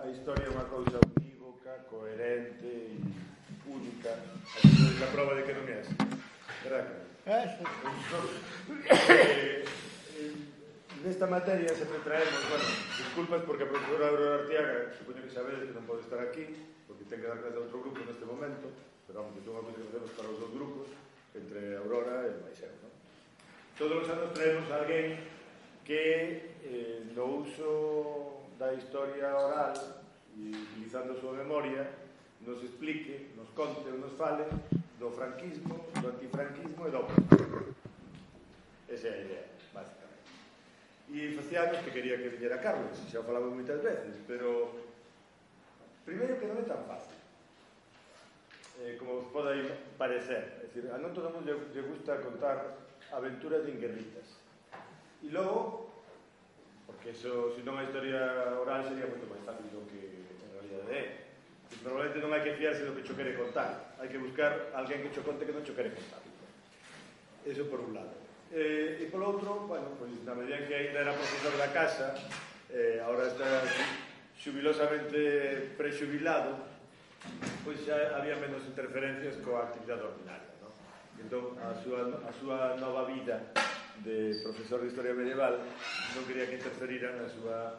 a historia é unha cousa unívoca, coherente e única. Así a prova de que non é así. Verdad? Nesta materia sempre traemos, bueno, disculpas porque a profesora Aurora Artiaga, supoño que sabedes que non pode estar aquí, porque ten que dar clase a outro grupo neste momento, pero vamos, que son unha cousa que facemos para os dos grupos, entre Aurora e máis eu, non? Todos os anos traemos a alguén que no uso da historia oral e utilizando a súa memoria nos explique, nos conte ou nos fale do franquismo, do antifranquismo e do franquismo. Esa é a idea, básicamente. E facía anos que quería que viñera Carlos, xa o falamos moitas veces, pero primeiro que non é tan fácil como pode parecer. É dicir, a non todo mundo lle gusta contar aventuras de inguerritas. E logo, porque eso, se non a historia oral sería moito máis fácil do que en realidade é. E probablemente non hai que fiarse do que cho quere contar, hai que buscar alguén que cho conte que non cho quere contar. Eso por un lado. E polo outro, bueno, pois na medida en que ainda era profesor da casa, agora está xubilosamente prexubilado, pois xa había menos interferencias coa actividade ordinaria, non? Entón, a súa nova vida de profesor de Historia Medieval non quería que interferiran na súa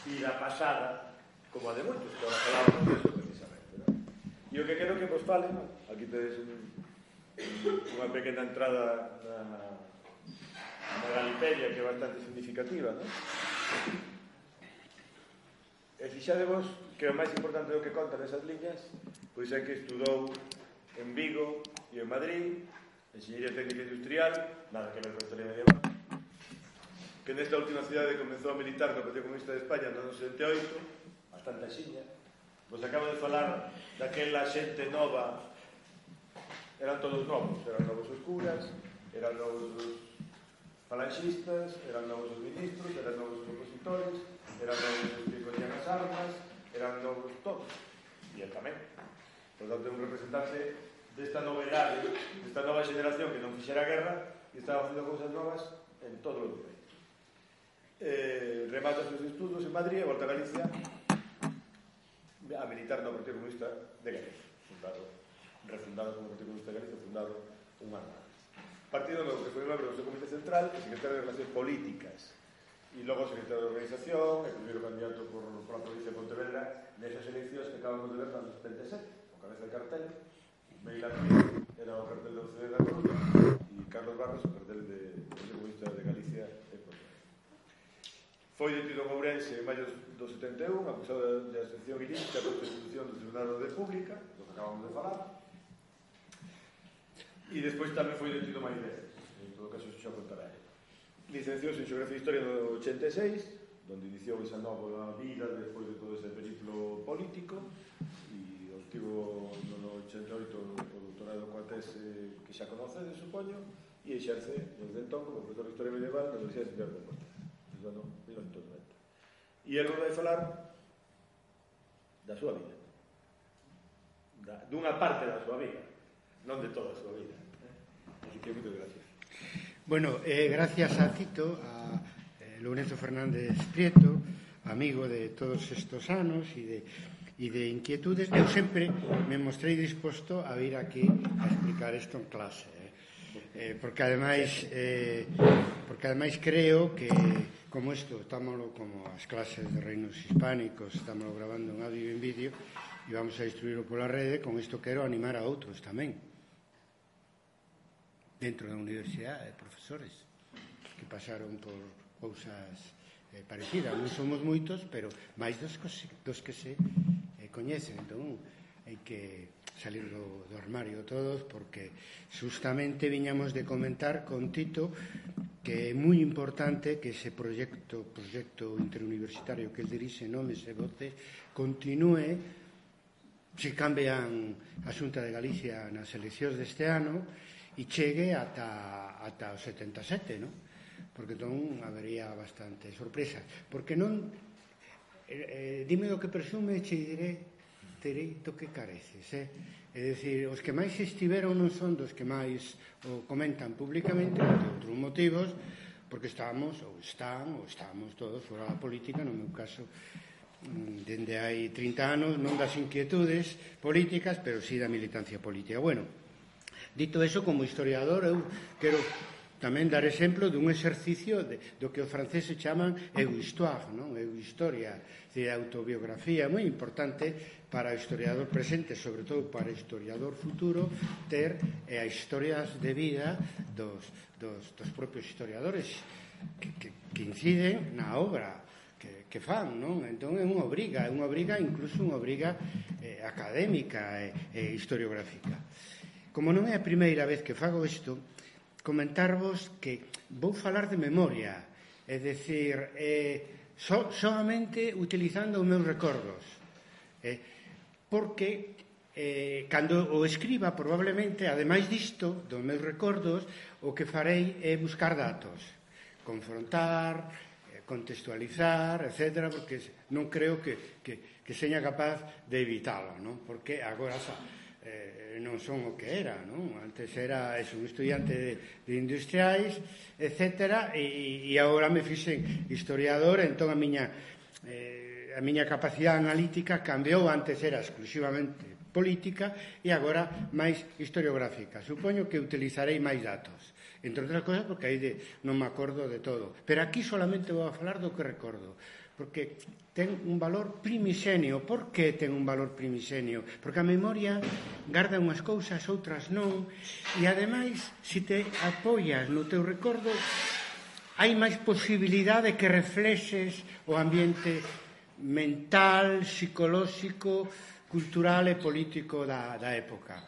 vida pasada, como a de moitos, que agora falábamos disso precisamente, non? E o que quero que vos fale, non? Aquí tedes unha pequena entrada na Galipedia, que é bastante significativa, non? E fixadevos que o máis importante do que contan esas liñas pois é que estudou en Vigo e en Madrid Enxeñería Técnica Industrial, nada que ver con Historia Medieval, que nesta última cidade comezou a militar no Partido Comunista de España no ano 78, bastante axiña. Vos acabo de falar daquela xente nova, eran todos novos, eran novos os curas, eran novos os falanxistas, eran novos os ministros, eran novos os opositores, eran novos os que collían as armas, eran novos todos, e el tamén. Por tanto, un representante desta novedade, desta nova xeneración que non fixera guerra e estaba facendo cousas novas en todos os niveis. Remata os seus estudos en Madrid e volta a Galicia a militar no Partido Comunista de Galicia, refundado como Partido Comunista de Galicia, fundado un ano antes. Partido no que foi membro do seu Comité Central e secretario de Relacións Políticas, e logo secretario de Organización e primeiro candidato por a provincia de Pontevedra nesas eleccións que acabamos de ver no 77, con cabeza de cartel. Meila Núñez era o cartel da UCD da Coruña e Carlos Barros o cartel do Partido Comunista de Galicia e Pontevedra. Foi detido en Ourense en maio do 71, acusado de asociación ilícita por institución do Tribunal de República, do que acabamos de falar. E despois tamén foi detido máis veces, en todo caso xa contará ele. Licenciouse en Xeografía e Historia no 86, onde iniciou esa nova vida despois de todo ese periplo político, e obtivo no 88 o doutorado coa tese que xa conocedes, supoño, e exerce desde entón como profesor de Historia Medieval na Universidade de Santiago de Compostela, desde o ano 1990. E ele vai falar da súa vida, dunha parte da súa vida, non de toda a súa vida. Así que moitas gracias. Bueno, gracias a Tito, a Lourenço Fernández Prieto, amigo de todos estos anos e de inquietudes. Eu sempre me mostrei disposto a vir aquí a explicar isto en clase, porque ademais creo que como isto, estámoslo como as clases de reinos hispánicos, estámoslo grabando en audio e en vídeo e vamos a distribuirlo pola rede. Con isto quero animar a outros tamén dentro da universidade, profesores que pasaron por cousas parecidas. Non somos moitos, pero máis dos que se coñecen. Entón, hai que salir do armario todos, porque justamente viñamos de comentar con Tito que é moi importante que ese proxecto interuniversitario que el dirixe, Nomes e Voces, continúe, se cambian a Xunta de Galicia nas eleccións deste ano e chegue ata o 77, non? Porque entón habería bastante sorpresa. Porque non, dime do que presume, che direi do que careces, É dicir, os que máis estiveron non son dos que máis o comentan públicamente, por outros motivos, porque estamos todos fora da política, no meu caso, dende hai 30 anos, non das inquietudes políticas, pero sí da militancia política. Bueno, dito eso, como historiador, eu quero tamén dar exemplo dun exercicio do que os franceses chaman eu-histoire, non? Eu-historia, de autobiografía, moi importante para o historiador presente, sobre todo para o historiador futuro, ter as historias de vida dos propios historiadores que inciden na obra que fan, non? Entón é unha obriga, incluso unha obriga académica e historiográfica. Como non é a primeira vez que fago isto, comentarvos que vou falar de memoria, é dicir, solamente utilizando os meus recordos, porque cando o escriba, probablemente, ademais disto, dos meus recordos, o que farei é buscar datos, confrontar, contextualizar, etc., porque non creo que seña capaz de evitalo, non? Porque agora non son o que era, non? Antes era un estudiante de industriais, etc., e agora me fixen historiador, entón a miña capacidade analítica cambiou. Antes era exclusivamente política e agora máis historiográfica. Supoño que utilizarei máis datos, entre outras cousas porque aí non me acordo de todo, pero aquí solamente vou a falar do que recordo, porque ten un valor primixenio. Por que ten un valor primixenio? Porque a memoria garda unhas cousas, outras non, e ademais, se te apoias no teu recordo, hai máis posibilidade que reflexes o ambiente mental, psicolóxico, cultural e político da época.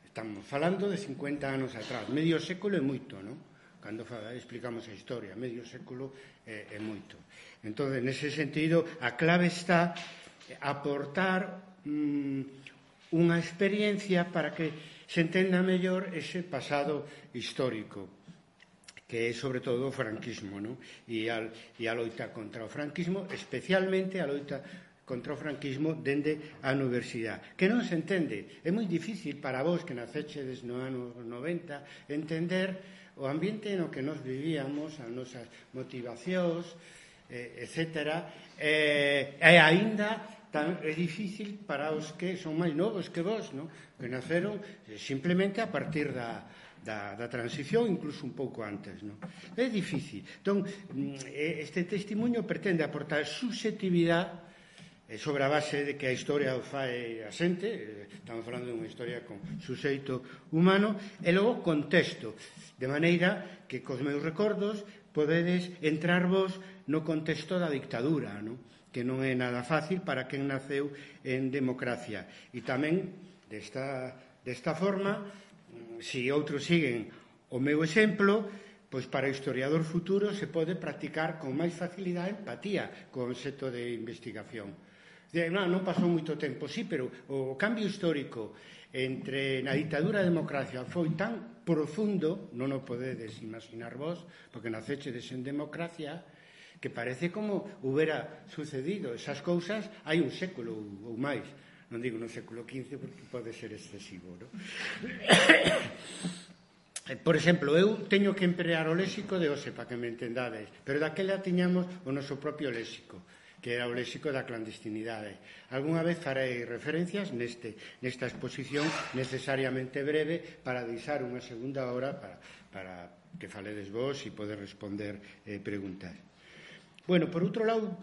Estamos falando de 50 anos atrás. Medio século é moito, non? Cando explicamos a historia, medio século é moito. Entón, nese sentido, a clave está aportar unha experiencia para que se entenda mellor ese pasado histórico, que é sobre todo o franquismo, non? E a loita contra o franquismo, especialmente a loita contra o franquismo dende a universidade, que non se entende. É moi difícil para vos que nacechedes no ano 90 entender o ambiente no que nos vivíamos, as nosas motivacións, etc. E aínda é difícil para os que son máis novos que vos, non? Que naceron simplemente a partir da transición, incluso un pouco antes, non? É difícil. Entón, este testimonio pretende aportar subxetividade sobre a base de que a historia o fai a xente, estamos falando de unha historia con suxeito humano, e logo contexto, de maneira que cos meus recordos podedes entrarvos no contexto da dictadura, non? Que non é nada fácil para quen naceu en democracia. E tamén, desta forma, se outros siguen o meu exemplo, pois para o historiador futuro se pode practicar con máis facilidade empatía co concepto de investigación. Non pasou moito tempo, sí, pero o cambio histórico entre na ditadura e a democracia foi tan profundo, non o podedes imaginar vos, porque nacechedes en democracia, que parece como houbera sucedido esas cousas hai un século ou máis. Non digo no século XV porque pode ser excesivo, non? Por exemplo, eu teño que emplear o léxico de hoxe para que me entendades, pero daquela tiñamos o noso propio léxico, que era o léxico da clandestinidade. Algúna vez farei referencias nesta exposición necesariamente breve para deixar unha segunda hora para que faledes vos e poder responder preguntas. Bueno, por outro lado,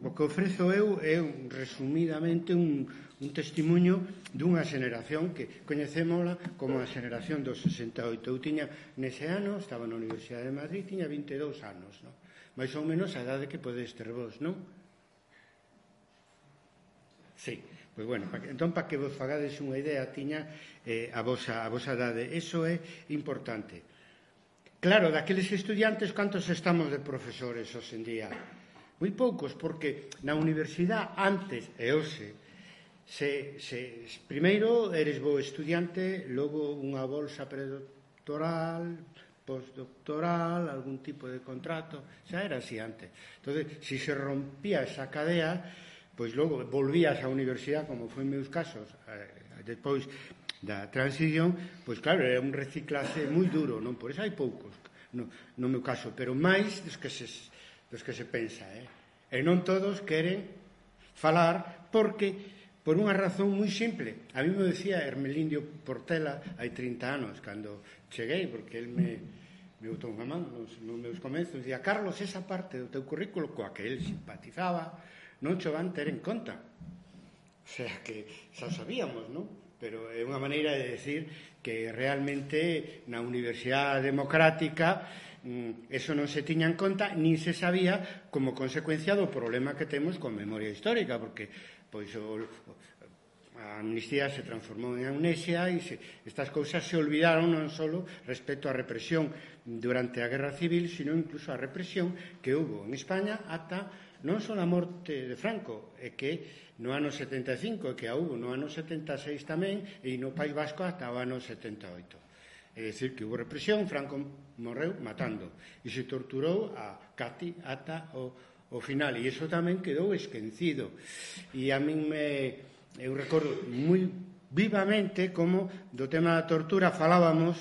o que ofrezo eu é resumidamente un testimonio dunha xeneración que coñecémola como a xeneración dos 68. Eu tiña nese ano, estaba na Universidade de Madrid, tiña 22 anos, non? Mais ou menos a idade que podedes ter vos, non? Sí, pois bueno, entón para que vos fagades unha idea tiña a vosa idade. Eso é importante. Claro, daqueles estudiantes, cantos estamos de profesores hoxe en día? Moi poucos, porque na universidade antes e hoxe primeiro eres bo estudiante, logo unha bolsa predoctoral, postdoctoral, algún tipo de contrato, xa era así antes. Entón, se se rompía esa cadea, pois logo volvías á universidade, como foi en meus casos, depois da transición, pois claro, era un reciclaje moi duro, non? Por iso hai poucos, no meu caso, pero máis dos que se pensa, e non todos queren falar, porque por unha razón moi simple. A mí me decía Hermelindio Portela hai 30 anos, cando cheguei, porque el me botou unha man nos meus comenzos, dicía: Carlos, esa parte do teu currículo coa que el simpatizaba non cho van ter en conta. O sea, que xa sabíamos, non? Pero é unha maneira de decir que realmente na Universidade Democrática eso non se tiña en conta, nin se sabía como consecuencia do problema que temos con memoria histórica, porque pois a amnistía se transformou en amnesia e estas cousas se olvidaron non só respecto á represión durante a Guerra Civil, sino incluso a represión que hubo en España ata non só a morte de Franco, é que no ano 75, que a hubo no ano 76 tamén, e no País Vasco ata o ano 78. É dicir, que hubo represión, Franco morreu matando, e se torturou a Cati ata o final, e iso tamén quedou esquecido. E a min eu recordo moi vivamente como do tema da tortura falábamos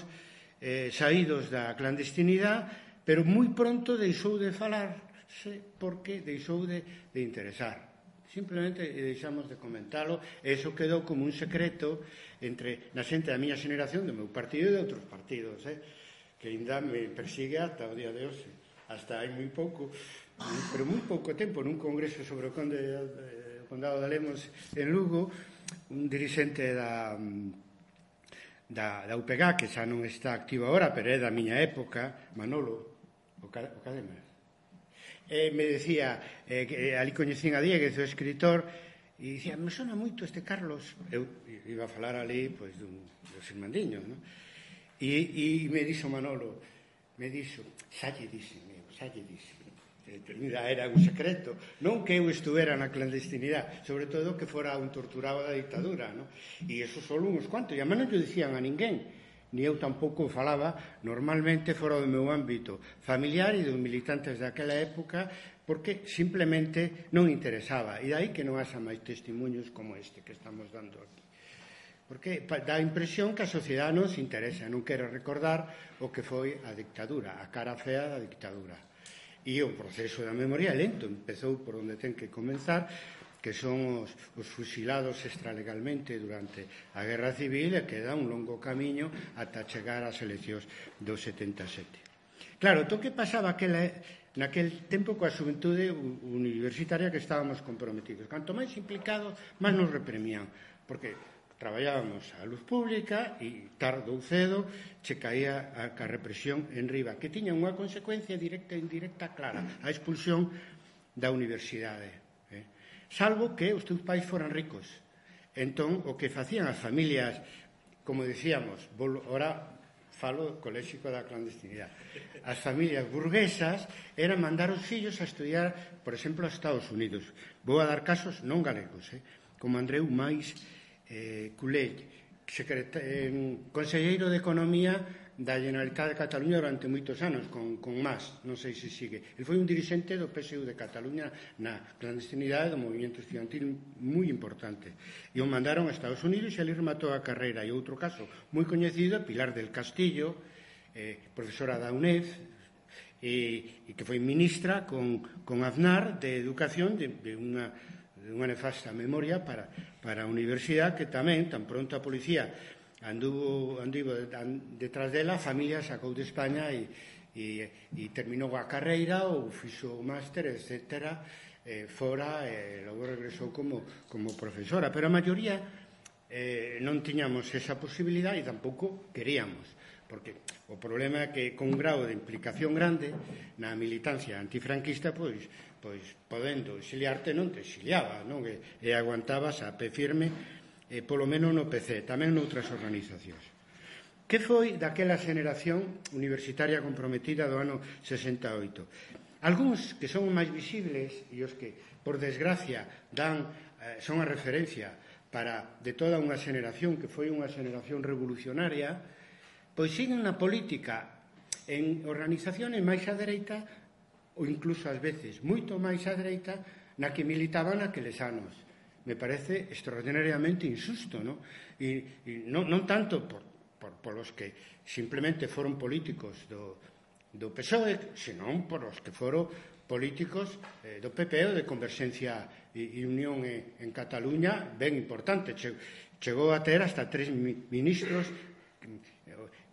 saídos da clandestinidade, pero moi pronto deixou de falarse porque deixou de interesar. Simplemente deixamos de comentalo, e iso quedou como un secreto entre na xente da miña xeneración, do meu partido e de outros partidos, que ainda me persigue ata o día de hoxe. Hasta hai moi pouco, pero moi pouco tempo, nun congreso sobre o Condado de Lemos en Lugo, un dirixente da UPG, que xa non está activo agora, pero é da miña época, Manolo, o Cadema, me decía que ali coñecín a Dieguez, o escritor, e dicía: me sona moito este Carlos. Eu iba a falar ali pois dos irmandiños, non? E me dixo Manolo, xa lle dixen. Era un secreto, non que eu estuvera na clandestinidade, sobre todo que fora un torturado da dictadura, non? E eso só uns cuantos, e a non lle dicían a ninguén, ni eu tampouco falaba normalmente fora do meu ámbito familiar e dos militantes daquela época, porque simplemente non interesaba, e dai que non haxa máis testemunhos como este que estamos dando aquí, porque dá a impresión que a sociedade non se interesa, non quere recordar o que foi a dictadura, a cara fea da dictadura. E o proceso da memoria é lento, empezou por onde ten que comenzar, que son os fusilados extralegalmente durante a Guerra Civil, e queda un longo camiño ata chegar ás eleccións do 77. Claro, o que pasaba naquel tempo coa xuventude universitaria que estábamos comprometidos. Canto máis implicados, máis nos reprimían, porque traballábamos a luz pública e tarde ou cedo che caía a represión en riba, que tiña unha consecuencia directa e indirecta clara, a expulsión da universidade. Salvo que os teus pais foran ricos. Entón, o que facían as familias, como decíamos, ora falo coléxico da clandestinidade, as familias burguesas eran mandar os fillos a estudiar, por exemplo, a Estados Unidos. Vou a dar casos non galegos, como Andreu Mais Culell, conselleiro de Economía da Generalitat de Cataluña durante moitos anos, con Mas, non sei se sigue. Ele foi un dirixente do PSU de Cataluña na clandestinidade do movimento estudiantil moi importante. E o mandaron a Estados Unidos e ali rematou a carreira. E outro caso moi coñecido é Pilar del Castillo, profesora da UNED, e que foi ministra con Aznar de Educación de unha nefasta memoria para a universidade, que tamén, tan pronto a policía anduvo detrás dela, a familia sacou de España e terminou a carreira ou fixo o máster, etc., fora, e logo regresou como profesora. Pero a maioría non tiñamos esa posibilidade e tampouco queríamos, porque o problema é que con un grau de implicación grande na militancia antifranquista, pois podendo exiliarte non te exiliaba, non? E aguantabas a pé firme, polo menos no PC, tamén noutras organizacións. Que foi daquela xeneración universitaria comprometida do ano 68? Algúns que son máis visibles e os que, por desgracia, son a referencia de toda unha xeneración que foi unha xeneración revolucionaria, pois siguen na política en organizaciones máis á dereita ou incluso ás veces moito máis á dereita na que militaban aqueles anos. Me parece extraordinariamente injusto, non? E non tanto por os que simplemente foron políticos do PSOE, senón por os que foron políticos do PP ou de Converxencia e Unión en Cataluña ben importante. Chegou a ter hasta 3 ministros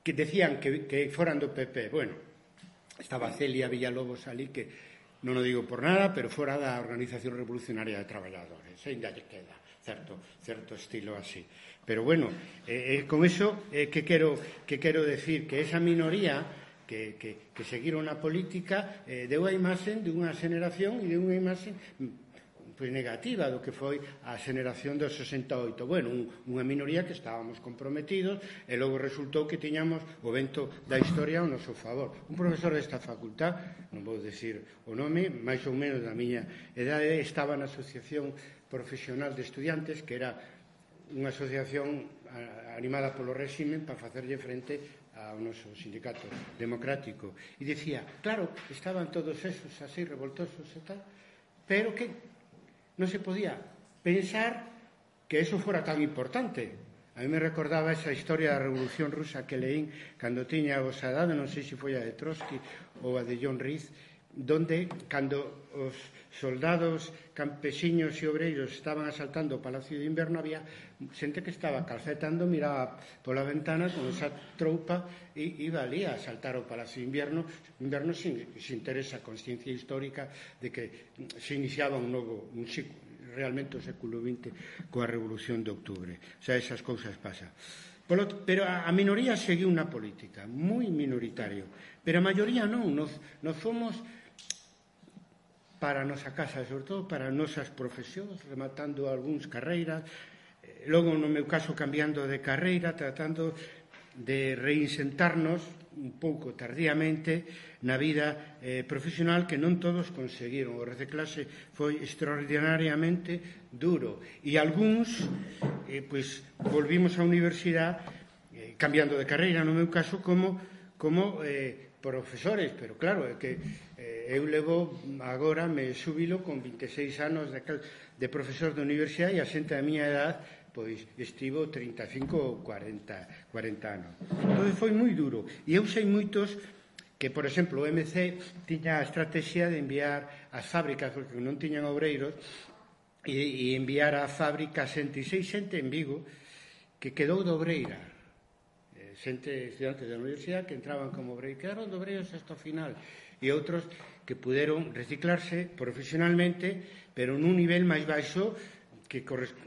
que decían que foran do PP. Bueno, estaba Celia Villalobos ali, que non o digo por nada, pero fora da Organización Revolucionaria de Traballadores, ainda lle queda certo estilo así. Pero bueno, con eso que quero decir que esa minoría que seguiron a política deu a imaxe dunha xeneración e dunha imaxe negativa do que foi a xeneración do 68. Bueno, unha minoría que estábamos comprometidos e logo resultou que tiñamos o vento da historia ao noso favor. Un profesor desta facultad, non vou decir o nome, máis ou menos da miña edade, estaba na Asociación Profesional de Estudiantes, que era unha asociación animada polo réxime para facerlle frente ao noso sindicato democrático. E dicía, claro, estaban todos esos así revoltosos e tal, pero que non se podía pensar que eso fora tan importante. A mí me recordaba esa historia da Revolución Rusa que leín cando tiña a vosa edade, non sei se foi a de Trotsky ou a de John Reed, donde, cando os soldados, campesiños e obreiros estaban asaltando o Palacio de Inverno, había xente que estaba calcetando, miraba pola ventana con esa troupa e iba ali a asaltar o Palacio de Inverno sin ter esa consciencia histórica de que se iniciaba un ciclo, realmente o século XX coa Revolución de Octubre. O sea, esas cousas pasan. Pero a minoría seguiu unha política moi minoritario, pero a maioría non. Nos fomos para a nosa casa, sobre todo para as nosas profesións, rematando algúns carreiras, logo no meu caso cambiando de carreira, tratando de reinsentarnos un pouco tardíamente na vida profesional, que non todos conseguiron. O reciclaxe foi extraordinariamente duro e algúns volvimos á universidade cambiando de carreira, no meu caso como profesores, pero claro, é que eu levo agora, me xubilo con 26 anos de profesor de universidade, e a xente da miña edad pois estivo 35 ou 40 anos. Entón foi moi duro, e eu sei moitos que, por exemplo, o MC tiña a estrategia de enviar as fábricas, porque non tiñan obreiros, e enviar a fábrica xente en Vigo que quedou de obreira, estudiantes da universidade que entraban como obreiros, quedaron de obreiros hasta o final, e outros que puderon reciclarse profesionalmente, pero nun nivel máis baixo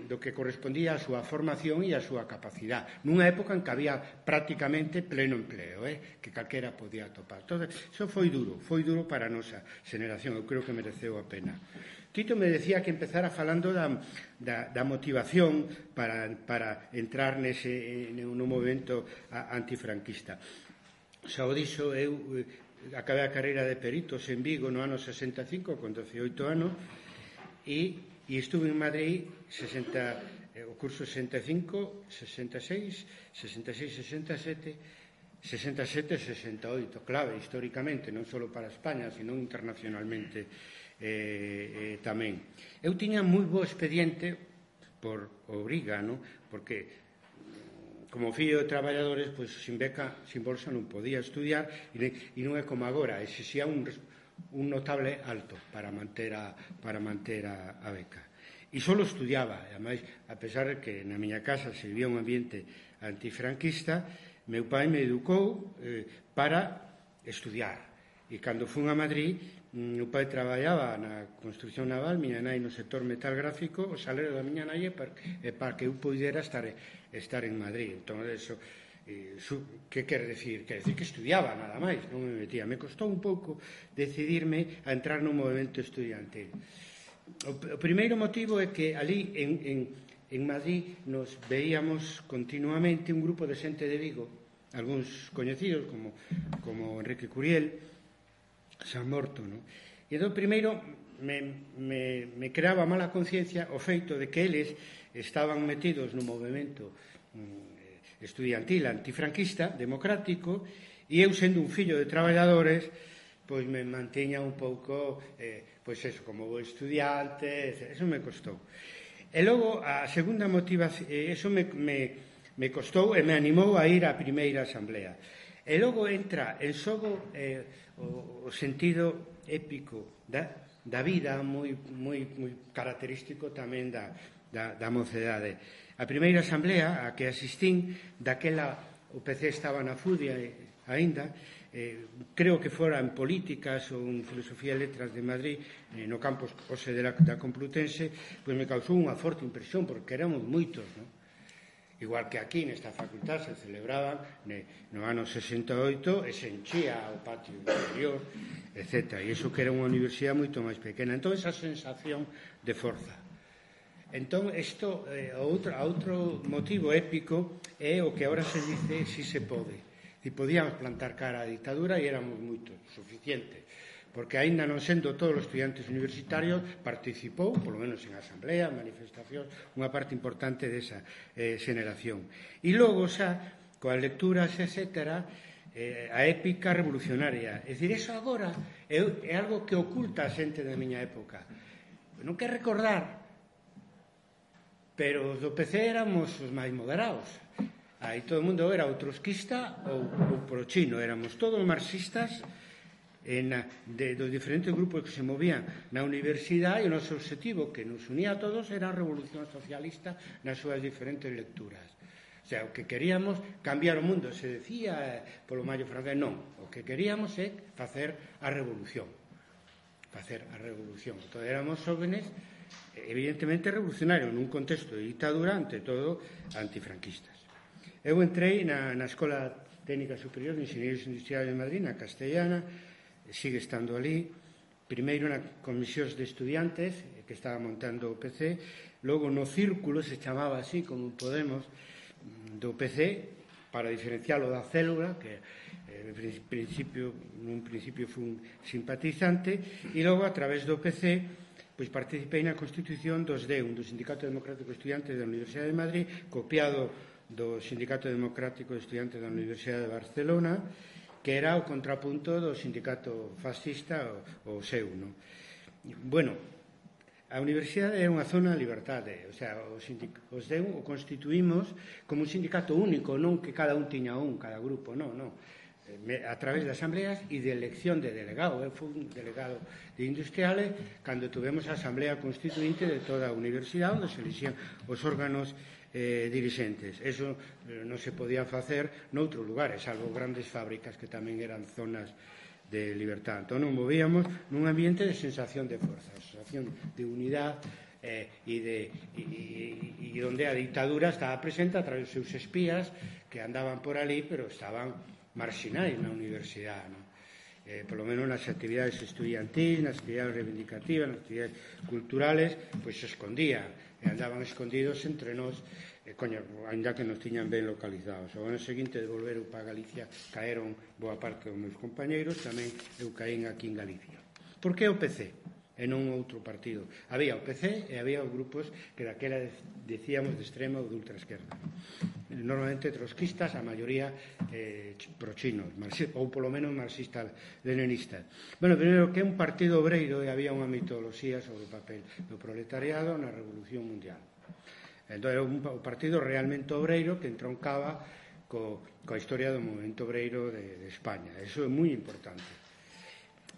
do que correspondía á súa formación e á súa capacidade, nunha época en que había prácticamente pleno empleo, que calquera podía topar. Entón, iso foi duro para a nosa xeneración, eu creo que mereceu a pena. Tito me decía que empezara falando da motivación para entrar no movimento antifranquista. Xa o dixo, eu acabei a carreira de peritos en Vigo no ano 65, con 18 anos, e estuve en Madrid o curso 65, 66, 67, 68, clave históricamente, non só para España, sino internacionalmente tamén. Eu tiña moi bo expediente por obriga, porque como fillo de traballadores, pois sin beca, sin bolsa non podía estudiar, e non é como agora, exixía un notable alto para manter a beca. E só estudiaba, e ademais, a pesar de que na miña casa se vivía un ambiente antifranquista, meu pai me educou para estudiar. E cando fun a Madrid, meu pai traballaba na construcción naval, miña nai no sector metal gráfico, o salario da miña nai para que eu pudera estar en Madrid. Entón, eso, que quer decir? Quer decir que estudiaba, nada máis, non me metía. Me costou un pouco decidirme a entrar no movimento estudiantil. O primeiro motivo é que ali en Madrid nos veíamos continuamente un grupo de xente de Vigo, algúns coñecidos como Enrique Curiel, San Morto, e entón primeiro me creaba mala conciencia o feito de que eles estaban metidos no movimento estudiantil antifranquista, democrático, e eu sendo un fillo de traballadores, pois me mantiña un pouco, pois eso, como bo estudiante, eso me costou. E logo, a segunda motivación, eso me costou e me animou a ir á primeira asamblea. E logo entra en xogo o sentido épico da vida moi característico tamén da mocedade. A primeira asamblea a que asistín, daquela o PC estaba na FUDI aínda, creo que fora en Políticas ou en Filosofía e Letras de Madrid, no campus Ose da Complutense, pois me causou unha forte impresión, porque éramos moitos, non? Igual que aquí nesta facultad se celebraban no ano 68 e se enchía o patio interior, etc. E iso que era unha universidade moito máis pequena. Entón, esa sensación de forza. Entón, isto, outro motivo épico é o que agora se dice si se pode. E podíamos plantar cara á ditadura e éramos moitos, suficientes. Porque aínda non sendo todos os estudiantes universitarios, participou, polo menos en asamblea, manifestacións, unha parte importante desa xeneración. E logo xa, coas lecturas, etc., a épica revolucionaria. É dicir, eso agora é algo que oculta a xente da miña época. Non quer recordar, pero os do PC éramos os máis moderados. Aí todo o mundo era ou trotskista ou pro-chino. Éramos todos marxistas dos diferentes grupos que se movían na universidade, e o noso objetivo, que nos unía a todos, era a revolución socialista nas súas diferentes lecturas. O sea, o que queríamos cambiar o mundo, se decía polo Mayo francés, non. O que queríamos é facer a revolución. Entón, éramos jóvenes, evidentemente revolucionarios, nun contexto de dictadura, ante todo antifranquistas. Eu entrei na Escola Técnica Superior de Inxenieros Industriales de Madrid, na Castellana, sigue estando ali, primeiro na comisións de estudiantes, que estaba montando o PC, logo no círculo, se chamaba así, como Podemos, do PC, para diferencialo da célula, que nun principio foi un simpatizante, e logo, a través do PC, pois participei na constitución dos DEUN, do Sindicato Democrático de Estudiantes da Universidade de Madrid, copiado do Sindicato Democrático de Estudiantes da Universidade de Barcelona, que era o contrapunto do sindicato fascista, o seu, non? Bueno, a universidade era unha zona de liberdade, o sea, os DEUN o constituímos como un sindicato único, non que cada un tiña cada grupo, non. A través de asambleas e de elección de delegado. Eu fui un delegado de industriales cando tuvemos a asamblea constituinte de toda a universidade, onde se elixían os órganos dirixentes. Eso non se podía facer noutros lugares, salvo grandes fábricas que tamén eran zonas de libertad. Entón, nos movíamos nun ambiente de sensación de forza, sensación de unidade, e onde a dictadura estaba presente a través dos seus espías que andaban por ali, pero estaban marxinais na universidade, non? Por lo menos nas actividades estudiantis, nas actividades reivindicativas, nas actividades culturales, pois se escondían, e andaban escondidos entre nós, ainda que nos tiñan ben localizados. O ano seguinte de volver para Galicia caeron boa parte dos meus compañeiros, tamén eu caín aquí en Galicia. Por que o PC e non outro partido? Había o PC e había os grupos que daquela decíamos de extrema ou de ultraesquerda. Normalmente trotskistas, a maioría pro-chinos, ou polo menos marxistas-leninistas. Bueno, primeiro, que é un partido obreiro, e había unha mitoloxía sobre o papel do proletariado na Revolución Mundial. Entón, era un partido realmente obreiro que entroncaba coa historia do movimento obreiro de España. Eso é moi importante.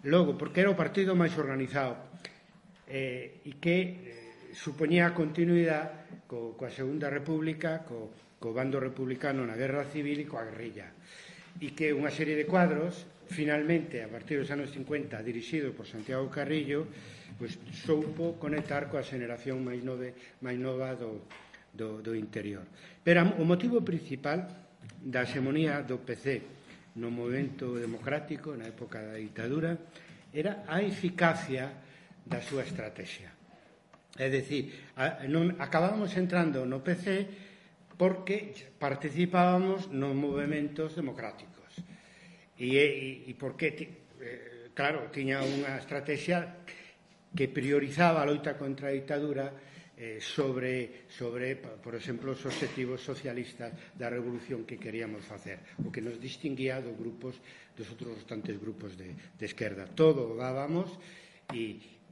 Logo, porque era o partido máis organizado e que supoñía a continuidade coa Segunda República, co bando republicano na Guerra Civil e coa guerrilla. E que unha serie de cuadros, finalmente, a partir dos anos 50, dirixidos por Santiago Carrillo, pois soupo conectar coa xeneración máis nova do interior. Pero o motivo principal da hexemonía do PC no movimento democrático, na época da ditadura, era a eficacia da súa estrategia. É dicir, acabábamos entrando no PC porque participábamos nos movementos democráticos. E porque, claro, tiña unha estrategia que priorizaba a loita contra a ditadura sobre, por exemplo, os objetivos socialistas da revolución que queríamos facer, o que nos distinguía dos outros restantes grupos de esquerda. Todo o dábamos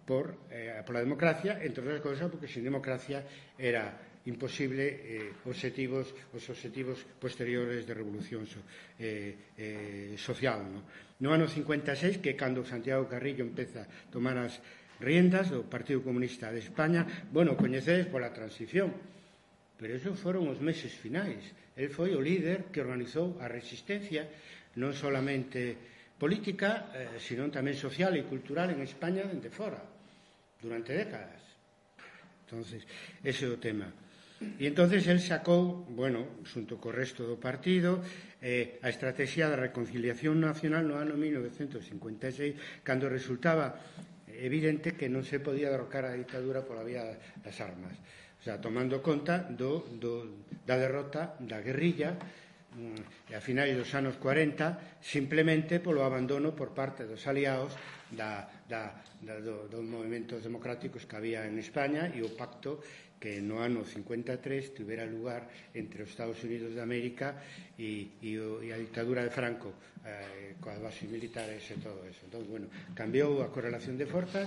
pola democracia, entre outras cousas, porque sin democracia era imposible os obxectivos posteriores de revolución social. No ano 56, que cando Santiago Carrillo empeza a tomar as riendas do Partido Comunista de España, coñecedes pola transición, pero esos foron os meses finais. El foi o líder que organizou a resistencia non solamente política, sino tamén social e cultural en España dende fora, durante décadas. Entonces, ese é o tema. E entonces el sacou, xunto co resto do partido, a estrategia da reconciliación nacional no ano 1956, cando resultaba evidente que non se podía derrocar a ditadura pola vía das armas. O sea, tomando conta da derrota da guerrilla a finais dos anos 40, simplemente polo abandono por parte dos aliados dos movimentos democráticos que había en España e o pacto que no ano 53 tivera lugar entre os Estados Unidos de América e a ditadura de Franco, coas bases militares e todo eso. Entón, cambiou a correlación de forzas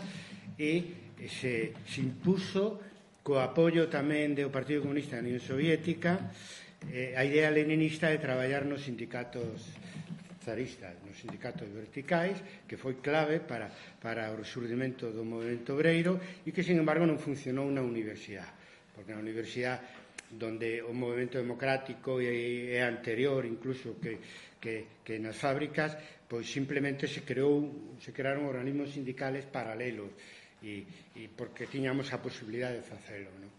e se impuso co apoio tamén do Partido Comunista da Unión Soviética a idea leninista de traballar nos sindicatos zaristas, nos sindicatos verticais, que foi clave para o resurdimento do movimento obreiro e que, sin embargo, non funcionou na universidade, porque na universidade donde o movimento democrático é anterior incluso que nas fábricas, pois simplemente se crearon organismos sindicales paralelos e porque tiñamos a posibilidade de facelo, non?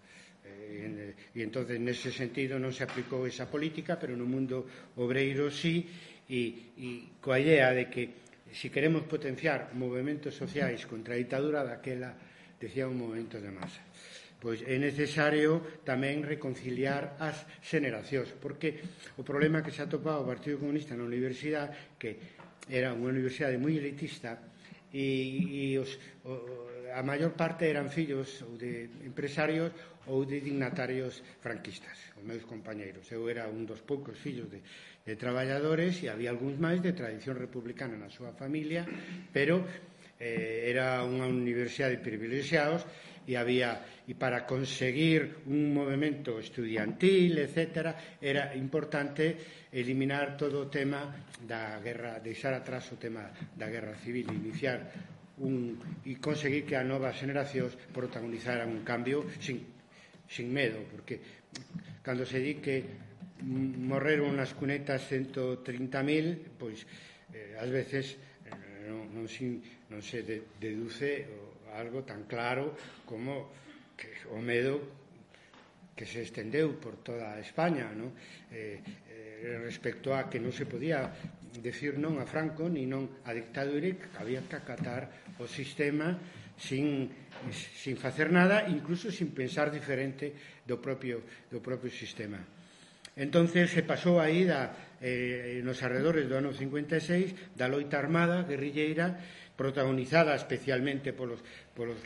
E entonces nese sentido non se aplicou esa política, pero no mundo obreiro sí, e coa idea de que se queremos potenciar movimentos sociais contra a ditadura daquela, decía, un movimento de masa, pois é necesario tamén reconciliar as xeneracións, porque o problema que se atopaba o Partido Comunista na universidade, que era unha universidade moi elitista, e a maior parte eran fillos ou de empresarios ou de dignatarios franquistas, os meus compañeiros. Eu era un dos poucos fillos de traballadores e había algúns máis de tradición republicana na súa familia, pero era unha universidade de privilexiados e para conseguir un movimento estudiantil, etc., era importante eliminar todo o tema da guerra, deixar atrás o tema da guerra civil, iniciar e conseguir que as novas generacións protagonizaran un cambio sin medo, porque cando se di que morreron nas cunetas 130.000, pois ás veces non se deduce algo tan claro como que o medo que se estendeu por toda España, non? Respecto a que non se podía decir non a Franco ni non a dictadura, que había que acatar o sistema sin facer nada, incluso sin pensar diferente do propio sistema. Entonces se pasou aí nos arredores do ano 56 da loita armada guerrilleira, protagonizada especialmente polos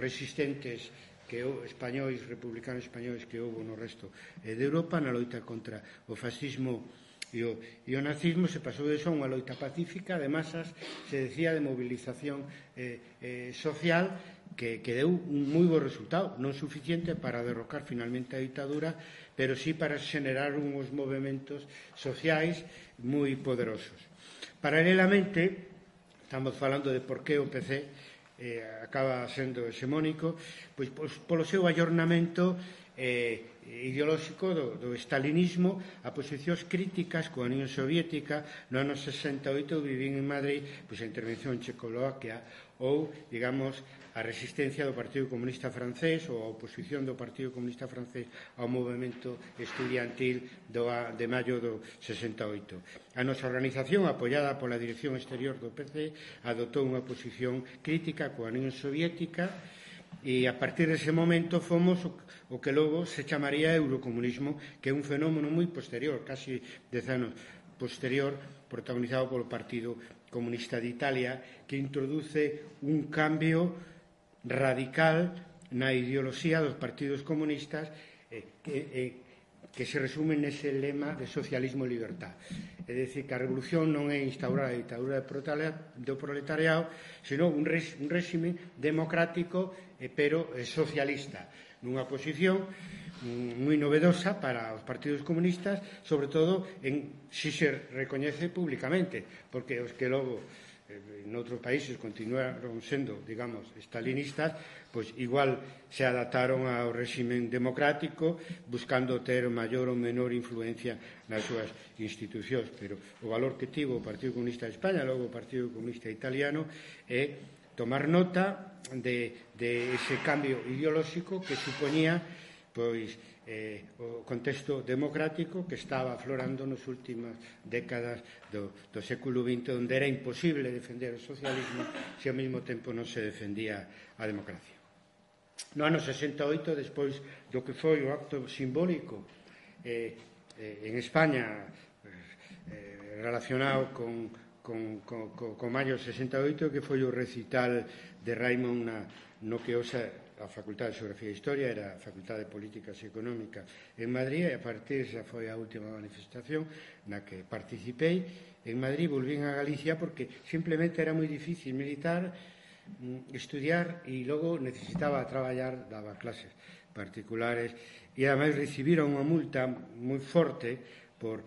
resistentes españois, republicanos españois que houve no resto de Europa, na loita contra o fascismo e o nazismo. Se pasou de eso a unha loita pacífica de masas, se decía, de movilización social, que deu un moi bo resultado, non suficiente para derrocar finalmente a ditadura, pero sí para xenerar uns movimentos sociais moi poderosos. Paralelamente, estamos falando de por que o PC acaba sendo hexemónico, pois polo seu ayornamento ideolóxico do stalinismo, a posicións críticas coa Unión Soviética. No ano 68 vivín en Madrid pois a intervención en Checoslovaquia ou, digamos, a resistencia do Partido Comunista francés ou a oposición do Partido Comunista francés ao movimento estudiantil de maio do 68. A nosa organización, apoiada pola Dirección Exterior do PC, adoptou unha posición crítica coa Unión Soviética e a partir dese momento fomos o que logo se chamaría eurocomunismo, que é un fenómeno moi posterior, casi 10 anos posterior, protagonizado polo Partido Comunista de Italia, que introduce un cambio radical na ideoloxía dos partidos comunistas que se resume nese lema de socialismo e libertad. É dicir, que a revolución non é instaurar a ditadura do proletariado, senón un réxime democrático pero socialista, nunha posición moi novedosa para os partidos comunistas, sobre todo si se recoñece públicamente, porque os que logo en outros países continuaron sendo, digamos, stalinistas, pois igual se adaptaron ao réximen democrático buscando ter maior ou menor influencia nas súas institucións, pero o valor que tivo o Partido Comunista de España, logo o Partido Comunista Italiano, é tomar nota de ese cambio ideolóxico que supoñía pois o contexto democrático que estaba aflorando nas últimas décadas do século XX, onde era imposible defender o socialismo se ao mesmo tempo non se defendía a democracia. No ano 68, despois do que foi o acto simbólico en España relacionado con maio 68, que foi o recital de Raimon no que hoxe a Facultade de Xeografía e Historia era a Facultade de Políticas e Económicas en Madrid, e a partir esa foi a última manifestación na que participei. En Madrid volvín a Galicia porque simplemente era moi difícil militar, estudiar, e logo necesitaba traballar, daba clases particulares, e ademais recibiron unha multa moi forte por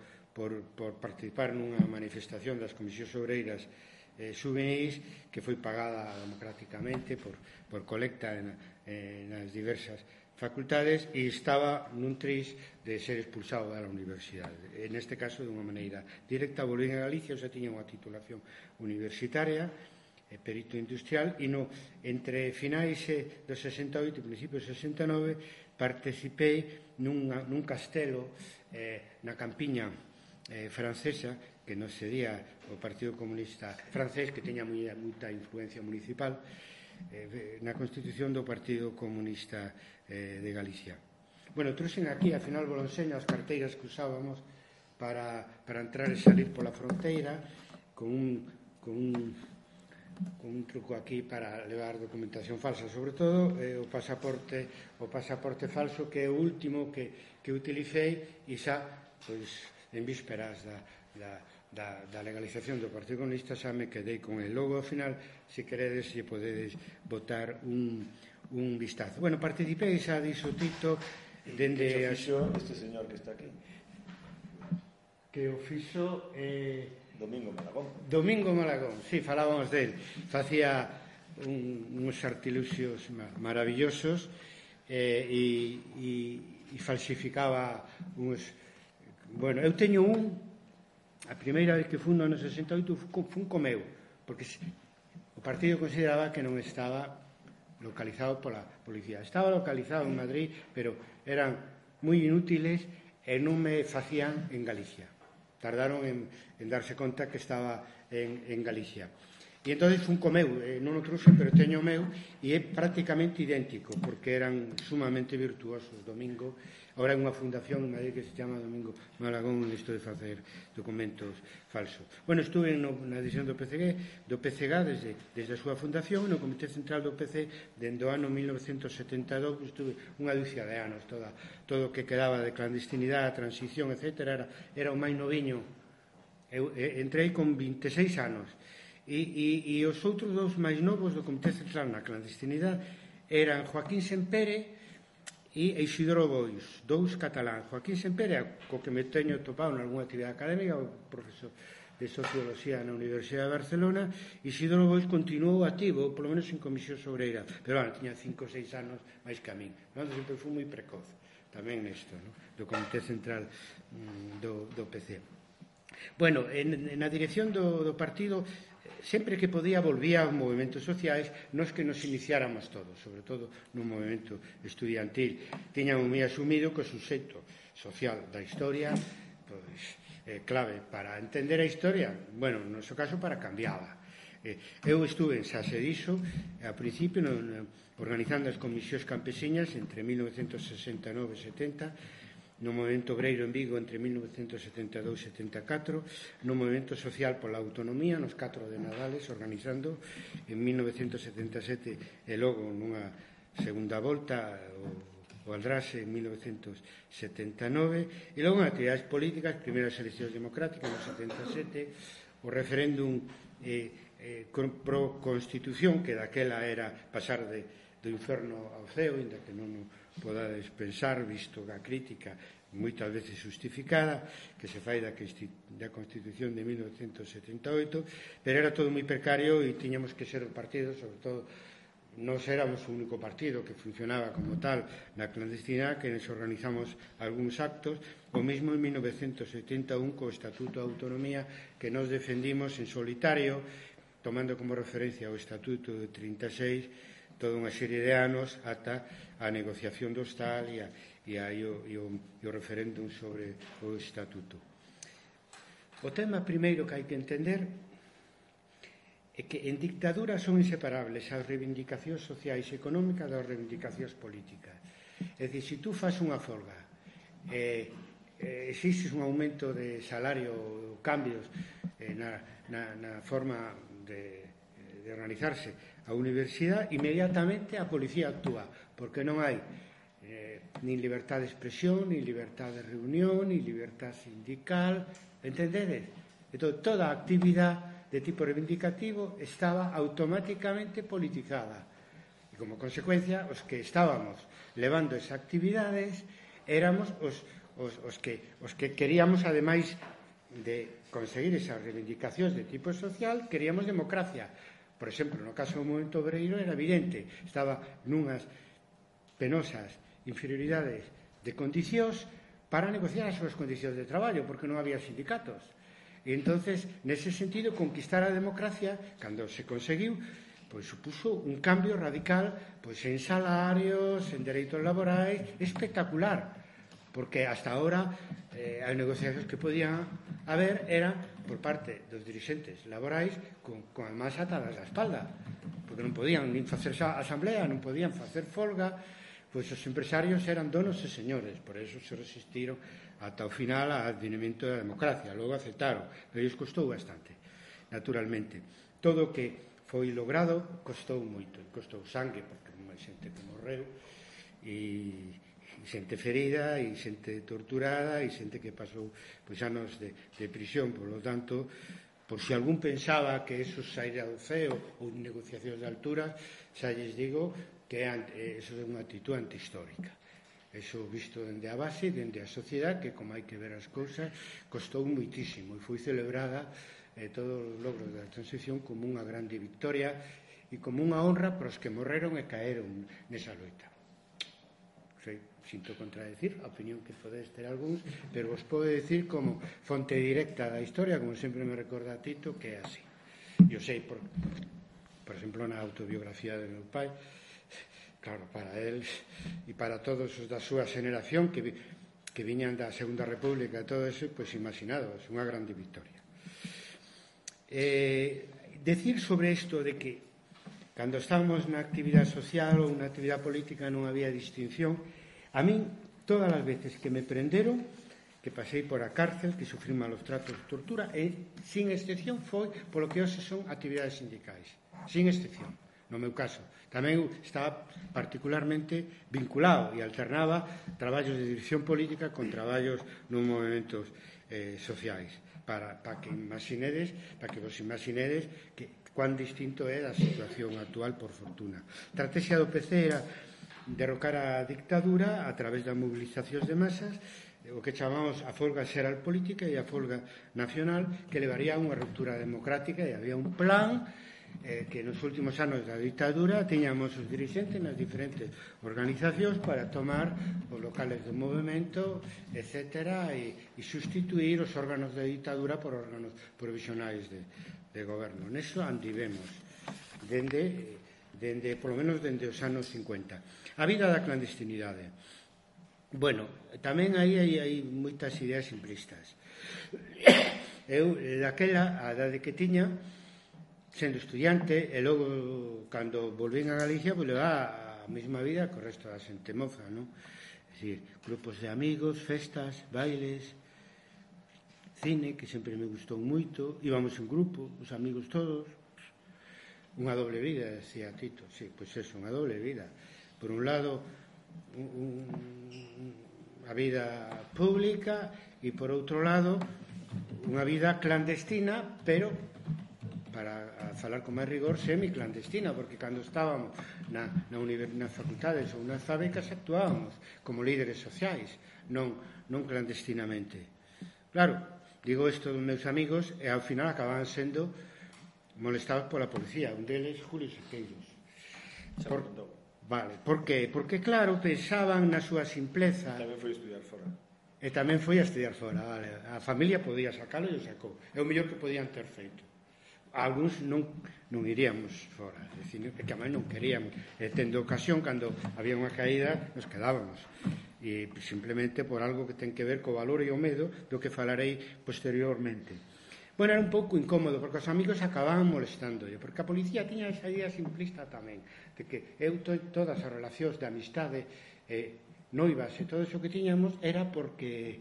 participar nunha manifestación das comisións obreiras xuvenis, que foi pagada democráticamente por colecta nas diversas facultades, e estaba nun tris de ser expulsado da universidade. En este caso, de unha maneira directa, volví a Galicia, xa tiña unha titulación universitaria, perito industrial, e entre finais do 68 e principios do 69 participei nun castelo na campiña francesa, que non sería o Partido Comunista francés, que teña moita influencia municipal, na constitución do Partido Comunista de Galicia. Bueno, trouxen aquí, ao final vos enseño as carteiras que usábamos para entrar e salir pola fronteira, con un truco aquí para levar documentación falsa, sobre todo o pasaporte falso, que é o último que utilicei, e xa, pois, en vísperas da legalización do Partido Comunista, xa me quedei con el. Logo, ao final, se queredes, se podedes botar un vistazo. Bueno, participei, xa dixo Tito, dende... Que fixo este señor que está aquí? Que o fixo... Domingo Malagón, sí, falábamos del. Facía uns artiluxios maravillosos e falsificaba uns... Bueno, eu teño a primeira vez que fui no ano 68 fun co meu, porque o partido consideraba que non estaba localizado pola policía. Estaba localizado en Madrid, pero eran moi inútiles e non me facían en Galicia. Tardaron en darse conta que estaba en Galicia. E entón fun co meu, non o trouxe, pero teño o meu, e é prácticamente idéntico, porque eran sumamente virtuosos. Domingo, ahora é unha fundación en Madrid que se chama Domingo Malagón, isto de facer documentos falsos. Bueno, estuve na edición do PCG desde a súa fundación, no Comité Central do PC dende o ano 1972, estuve unha dúcia de anos, todo o que quedaba de clandestinidade, transición, etc. Era o máis noviño. Eu entrei con 26 anos. E os outros dous máis novos do Comité Central na clandestinidade eran Joaquín Sempere e Isidoro Bois, dous catalán. Joaquín Sempere, co que me teño topado en algunha actividade académica, o profesor de Socioloxía na Universidade de Barcelona. Isidoro Bois continuou activo, polo menos en comisións obreiras, pero tiña 5 ou 6 anos máis que a min. Sempre fui moi precoz tamén nesto, do Comité Central do PC. Bueno, na dirección do partido, sempre que podía volvía aos movimentos sociais, nos que nos iniciáramos todos, sobre todo no movimento estudiantil. Tiñamos moi asumido que o suxeito social da historia, pois, clave para entender a historia, bueno, no noso caso para cambiála. Eu estuve en Sase diso, a principio, organizando as comisións campesiñas entre 1969 e 70, no movimento obreiro en Vigo entre 1972 e 74, no movimento social pola autonomía nos 4 de Nadales, organizando en 1977 e logo nunha segunda volta o Aldrase en 1979, e logo en actividades políticas, primeiras eleccións democráticas no 77, o referéndum pro Constitución, que daquela era pasar do inferno ao ceo, inda que non podades pensar, visto a crítica moitas veces justificada que se fai da Constitución de 1978, pero era todo moi precario e tiñamos que ser o partido, sobre todo nós éramos o único partido que funcionaba como tal na clandestinidade, que nos organizamos algúns actos, o mesmo en 1971 co Estatuto de Autonomía que nos defendimos en solitario, tomando como referencia o Estatuto de 36 toda unha serie de anos ata a negociación do Estado e o referéndum sobre o Estatuto. O tema primeiro que hai que entender é que en dictadura son inseparables as reivindicacións sociais e económicas das reivindicacións políticas. É dicir, se tú fas unha folga, existe un aumento de salario, cambios na forma de organizarse a universidade, inmediatamente a policía actúa, porque non hai nin libertad de expresión, nin libertad de reunión, nin libertad sindical, entendedes? Entón, toda a actividade de tipo reivindicativo estaba automáticamente politizada e como consecuencia os que estábamos levando esas actividades éramos os que queríamos, ademais de conseguir esas reivindicacións de tipo social, queríamos democracia. Por exemplo, no caso do movemento obreiro era evidente, estaba nunhas penosas inferioridades de condicións para negociar as súas condicións de traballo, porque non había sindicatos. E entonces, nese sentido, conquistar a democracia, cando se conseguiu, pois supuso un cambio radical pois en salarios, en dereitos laborais, espectacular, porque hasta ahora as negociacións que podían haber eran por parte dos dirixentes laborais con as mans atadas á espalda, porque non podían nin facer asamblea, non podían facer folga, pois os empresarios eran donos e señores, por eso se resistiron ata o final ao advenimento da democracia. Logo aceptaron, pero lles costou bastante, naturalmente. Todo o que foi logrado costou moito, costou sangue, porque hai xente que morreu e xente ferida e xente torturada e xente que pasou pois anos de prisión. Por lo tanto, por si algún pensaba que eso saíra do ceo ou negociacións de altura, xa lles digo que eso é unha actitud antihistórica. Eso visto dende a base, dende a sociedade, que como hai que ver as cousas, costou moitísimo e foi celebrada todos os logros da transición como unha grande victoria e como unha honra para os que morreron e caeron nesa loita. Sinto contradecir a opinión que podedes ter algúns, pero vos podo decir como fonte directa da historia, como sempre me recorda Tito, que é así. Eu sei, por exemplo, na autobiografía de meu pai, claro, para él e para todos os da súa xeneración que viñan da Segunda República e todo eso, pois imaginados, unha grande victoria. Decir sobre isto de que cando estábamos na actividade social ou na actividade política non había distinción, a min todas as veces que me prenderon, que pasei por a cárcel, que sufrí malos tratos de tortura, e sin excepción foi polo que hoxe son actividades sindicais, sin excepción. No meu caso, tamén estaba particularmente vinculado e alternaba traballos de dirección política con traballos nos movimentos sociais, para que vos imaginedes que cuán distinto é a situación actual, por fortuna. A estrategia do PC era derrocar a dictadura a través das movilizacións de masas, o que chamamos a folga xeral política e a folga nacional, que levaría a unha ruptura democrática, e había un plan que nos últimos anos da dictadura tiñamos os dirigentes nas diferentes organizacións para tomar os locales do movimento, etc., e sustituir os órganos de dictadura por órganos provisionais de goberno. Neso andivemos por lo menos dende os anos 50. A vida da clandestinidade. Bueno, tamén aí hai moitas ideas simplistas. Eu, daquela, a edade que tiña, sendo estudiante, e logo, cando volvín a Galicia, pues levaba a mesma vida co resto da xente moza, non? É dicir, grupos de amigos, festas, bailes, cine, que sempre me gustou moito, íbamos en grupo, os amigos todos, unha doble vida, decía Tito, sí, pois eso, unha doble vida. Por un lado, a vida pública, e por outro lado, unha vida clandestina, pero para falar con máis rigor, semiclandestina, porque cando estábamos nas facultades ou nas fábricas actuábamos como líderes sociais, non clandestinamente. Claro, digo isto dos meus amigos e ao final acababan sendo molestados pola policía, un deles Julio Sequeiros. Vale, por qué? Porque claro, pensaban na súa simpleza. Tamén foi estudiar fora. E tamén foi a estudiar fora, vale. A familia podía sacalo e o sacou. É o mellor que podían ter feito. Algúns non iríamos fora, é dicir, que tamén non queríamos. E tendo ocasión, cando había unha caída, nos quedábamos. E simplemente por algo que ten que ver co valor e o medo do que falarei posteriormente. Bueno, era un pouco incómodo, porque os amigos acababan molestándolle, porque a policía tiña esa idea simplista tamén, de que todas as relacións de amistade, noivas e todo iso que tiñamos era porque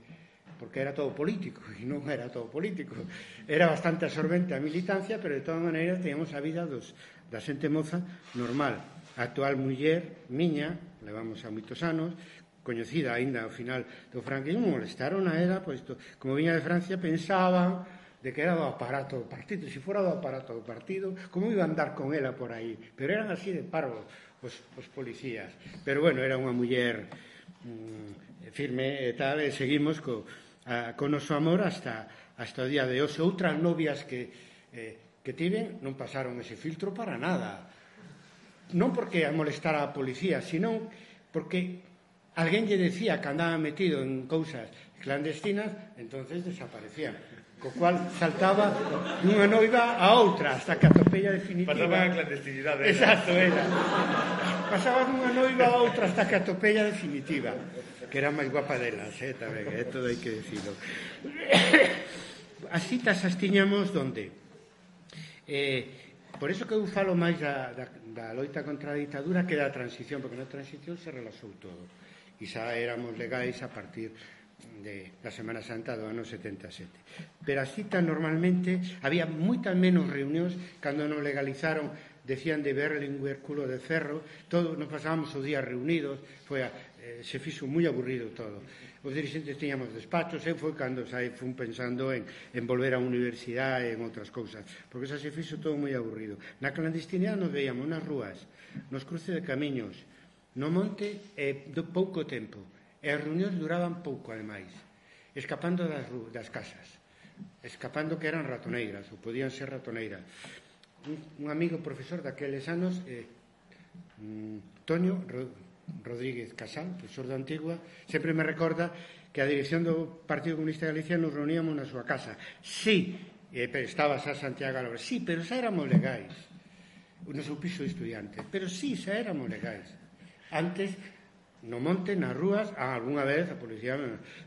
era todo político, e non era todo político. Era bastante absorbente a militancia, pero de todas maneiras teníamos a vida da xente moza normal. A actual muller miña, levamos a moitos anos, coñecida aínda ao final do franquismo, molestaron a era, pois, como viña de Francia, pensaban de que era do aparato do partido. Se fora do aparato do partido, como iba a andar con ela por aí? Pero eran así de parvos os policías. Pero bueno, era unha muller firme e tal, e seguimos co noso amor hasta o día de hoxe. Outras novias que tiven non pasaron ese filtro para nada. Non porque a molestar a policía, sino porque alguén lle decía que andaba metido en cousas clandestinas, entonces desaparecían. Co cual saltaba dunha noiva a outra hasta que atopella definitiva. Pasaba a clandestinidade. Exacto, era. Pasaba dunha noiva a outra hasta que atopella definitiva, que era máis guapa delas, tamén, todo hai que decirlo. As citas as tiñamos donde? Por eso que eu falo máis da loita contra a ditadura que da transición, porque na transición se relaxou todo. E xa éramos legais a partir da Semana Santa do ano 77. Pero as citas normalmente había moitas menos reunións cando nos legalizaron, decían de Berlinguer, culo de ferro, todos nos pasábamos o día reunidos, se fixo moi aburrido todo. Os dirigentes tiñamos despachos, foi cando fun pensando en volver á universidade e en outras cousas, porque xa se fixo todo moi aburrido. Na clandestinidade nos veíamos nas rúas, nos cruces de camiños, no monte pouco tempo. E as reunións duraban pouco, ademais, escapando das casas, escapando que eran ratoneiras, ou podían ser ratoneiras. Un amigo profesor daqueles anos, Toño Rodríguez Casal, profesor da Antigua, sempre me recorda que a dirección do Partido Comunista de Galicia nos reuníamos na súa casa. Sí, estaba xa Santiago Álvarez, sí, pero xa éramos legais, no seu piso de estudiantes, pero sí, xa éramos legais. Antes, no monte, nas rúas, algunha vez a policía,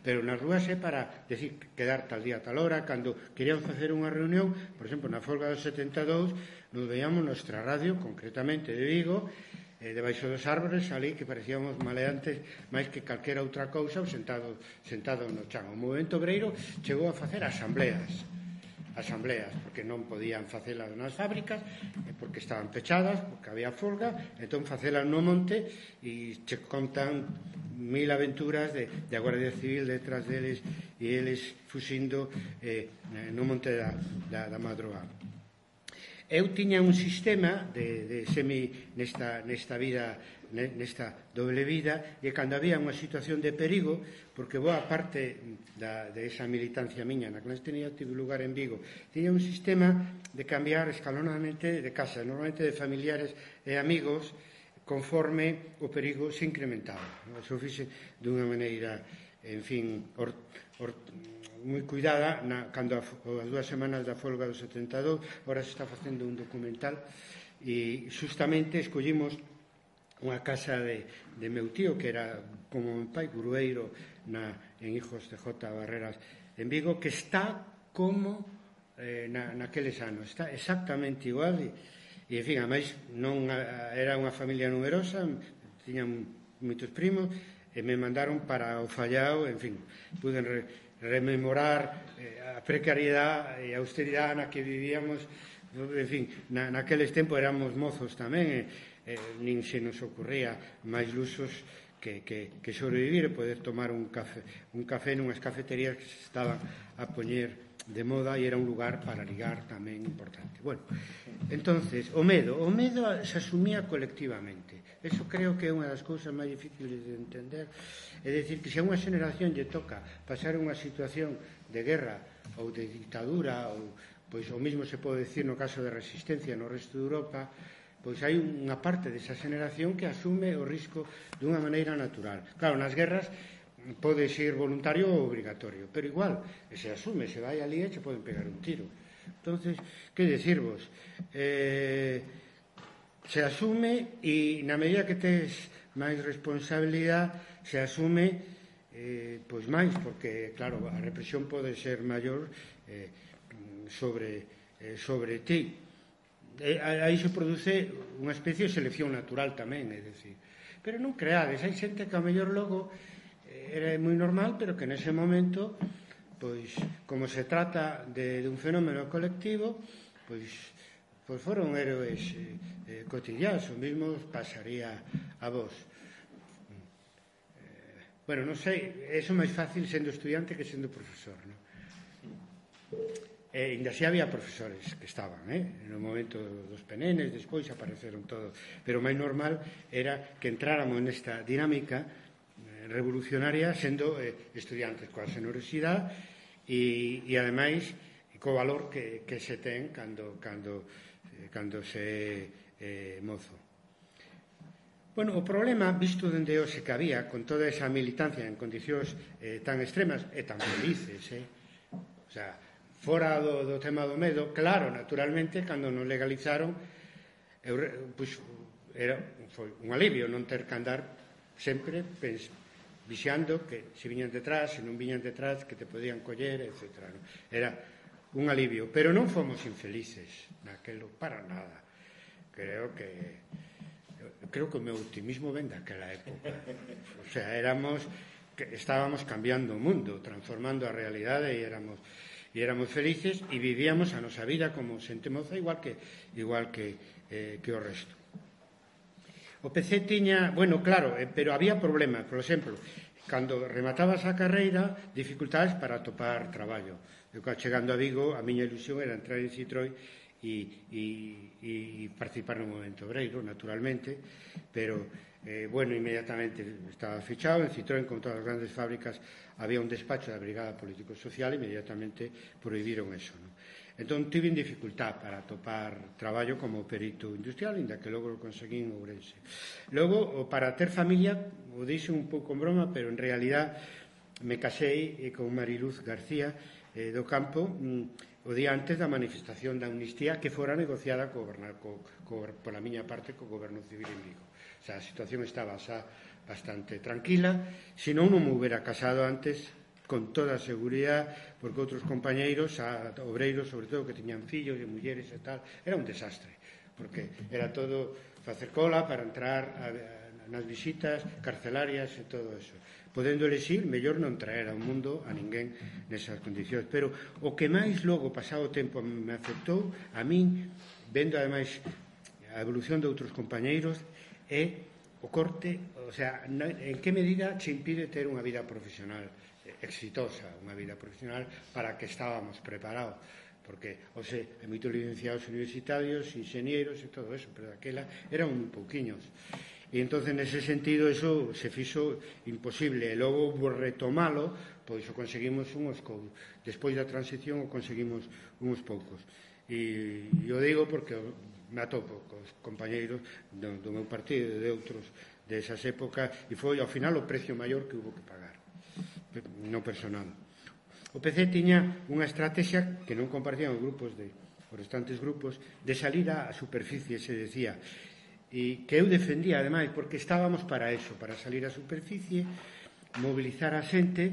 pero nas rúas é para decir, quedar tal día, tal hora. Cando queríamos facer unha reunión, por exemplo, na folga do 72, nos veíamos nuestra radio, concretamente de Vigo, debaixo dos árbores, ali que parecíamos maleantes máis que calquera outra cousa, sentados no chan. O movemento obreiro chegou a facer asambleas, porque non podían facelas nas fábricas, porque estaban pechadas, porque había folga, entón facelas no monte, e che contan mil aventuras de a Guardia Civil detrás deles e eles fuxindo no monte da madrugada. Eu tiña un sistema de nesta vida, nesta doble vida, e cando había unha situación de perigo, porque boa parte de esa militancia miña na clandestinidade tive lugar en Vigo, tiña un sistema de cambiar escalonadamente de casa, normalmente de familiares e amigos, conforme o perigo se incrementaba. Eso fixe dunha maneira, en fin, moi cuidada, cando as 2 semanas da folga do 72, agora se está facendo un documental, e justamente escollimos unha casa de meu tío, que era como meu pai, grueiro en Hijos de J. Barreras en Vigo, que está como naqueles anos, está exactamente igual, e en fin, ademais non era unha familia numerosa, tiñan moitos primos, e me mandaron para o Fallao, en fin, puden rememorar a precariedade e a austeridade na que vivíamos, en fin, naqueles tempos éramos mozos tamén, nin se nos ocurría máis luxos que sobrevivir e poder tomar un café nunhas cafeterías que se estaban a poñer de moda e era un lugar para ligar tamén importante. Bueno, entonces, o medo se asumía colectivamente. Eso creo que é unha das cousas máis difíciles de entender. É dicir, que se a unha xeneración lle toca pasar unha situación de guerra ou de dictadura, ou pois o mesmo se pode decir no caso de resistencia no resto de Europa, pois hai unha parte desa xeneración que asume o risco dunha maneira natural. Claro, nas guerras pode ser voluntario ou obligatorio, pero igual, se asume, se vai ali e se poden pegar un tiro. Entonces, que decirvos? Se asume e na medida que tes máis responsabilidade se asume pois máis, porque claro, a represión pode ser maior sobre ti. Aí se produce unha especie de selección natural tamén, é dicir, pero non creades, hai xente que ao mellor logo era moi normal, pero que nese momento, pois, como se trata de un fenómeno colectivo, pois foron héroes cotidianos, o mesmo pasaría a vos. Bueno, non sei, é máis fácil sendo estudiante que sendo profesor, non? Ainda así había profesores que estaban, no momento dos penenes, despois apareceron todos, pero o máis normal era que entráramos nesta dinámica revolucionaria sendo estudiantes coa xenerosidade e ademais co valor que se ten cando se mozo. Bueno, o problema visto dende hoxe que había con toda esa militancia en condicións tan extremas e tan felices, o sea, fora do tema do medo, claro, naturalmente, cando nos legalizaron, pois foi un alivio non ter que andar sempre vixiando que se viñan detrás, se non viñan detrás, que te podían coller, etc. Era un alivio, pero non fomos infelices naquelo, para nada. Creo que o meu optimismo ven daquela época. O sea, estábamos cambiando o mundo, transformando a realidade e éramos felices e vivíamos a nosa vida como xente moza igual que o resto. O PC tiña, bueno, claro, pero había problemas, por exemplo, cando rematabas a carreira, dificultades para atopar traballo. Eu, chegando a Vigo, a miña ilusión era entrar en Citroën e participar no movimento obreiro, naturalmente, pero, bueno, inmediatamente estaba fechado. En Citroën, con todas as grandes fábricas, había un despacho da Brigada Político-Social e inmediatamente prohibiron eso, non? Entón, tive dificultad para atopar traballo como perito industrial, inda que logo o conseguín en Ourense. Logo, para ter familia, o dixen un pouco en broma, pero en realidad me casei con Mariluz García do Campo o día antes da manifestación da amnistía que fora negociada pola miña parte co Goberno Civil en Vigo. O sea, a situación estaba xa bastante tranquila, senón non me hubiera casado antes con toda a seguridade, porque outros compañeiros, obreiros, sobre todo, que tiñan fillos e mulleres e tal, era un desastre, porque era todo facer cola para entrar nas visitas carcelarias e todo eso. Podendo elexir, mellor non traer ao mundo a ninguén nesas condicións. Pero o que máis logo, pasado o tempo, me afectou a min, vendo ademais a evolución de outros compañeiros, é o corte, o sea, en que medida se impide ter unha vida profesional exitosa, unha vida profesional para que estábamos preparados, porque, hai moitos licenciados universitarios, inxenieros e todo eso, pero daquela eran un pouquiños. E entonces, nese sentido, eso se fixo imposible. E logo, retomalo, pois o conseguimos despois da transición o conseguimos uns poucos. E o digo porque me atopo cos compañeiros do meu partido e de outros desas épocas, e foi, ao final, o precio maior que hubo que pagar no personal. O PC tiña unha estrategia que non compartían os restantes grupos de salir á superficie, se decía, e que eu defendía, ademais, porque estábamos para eso, para salir á superficie, mobilizar a xente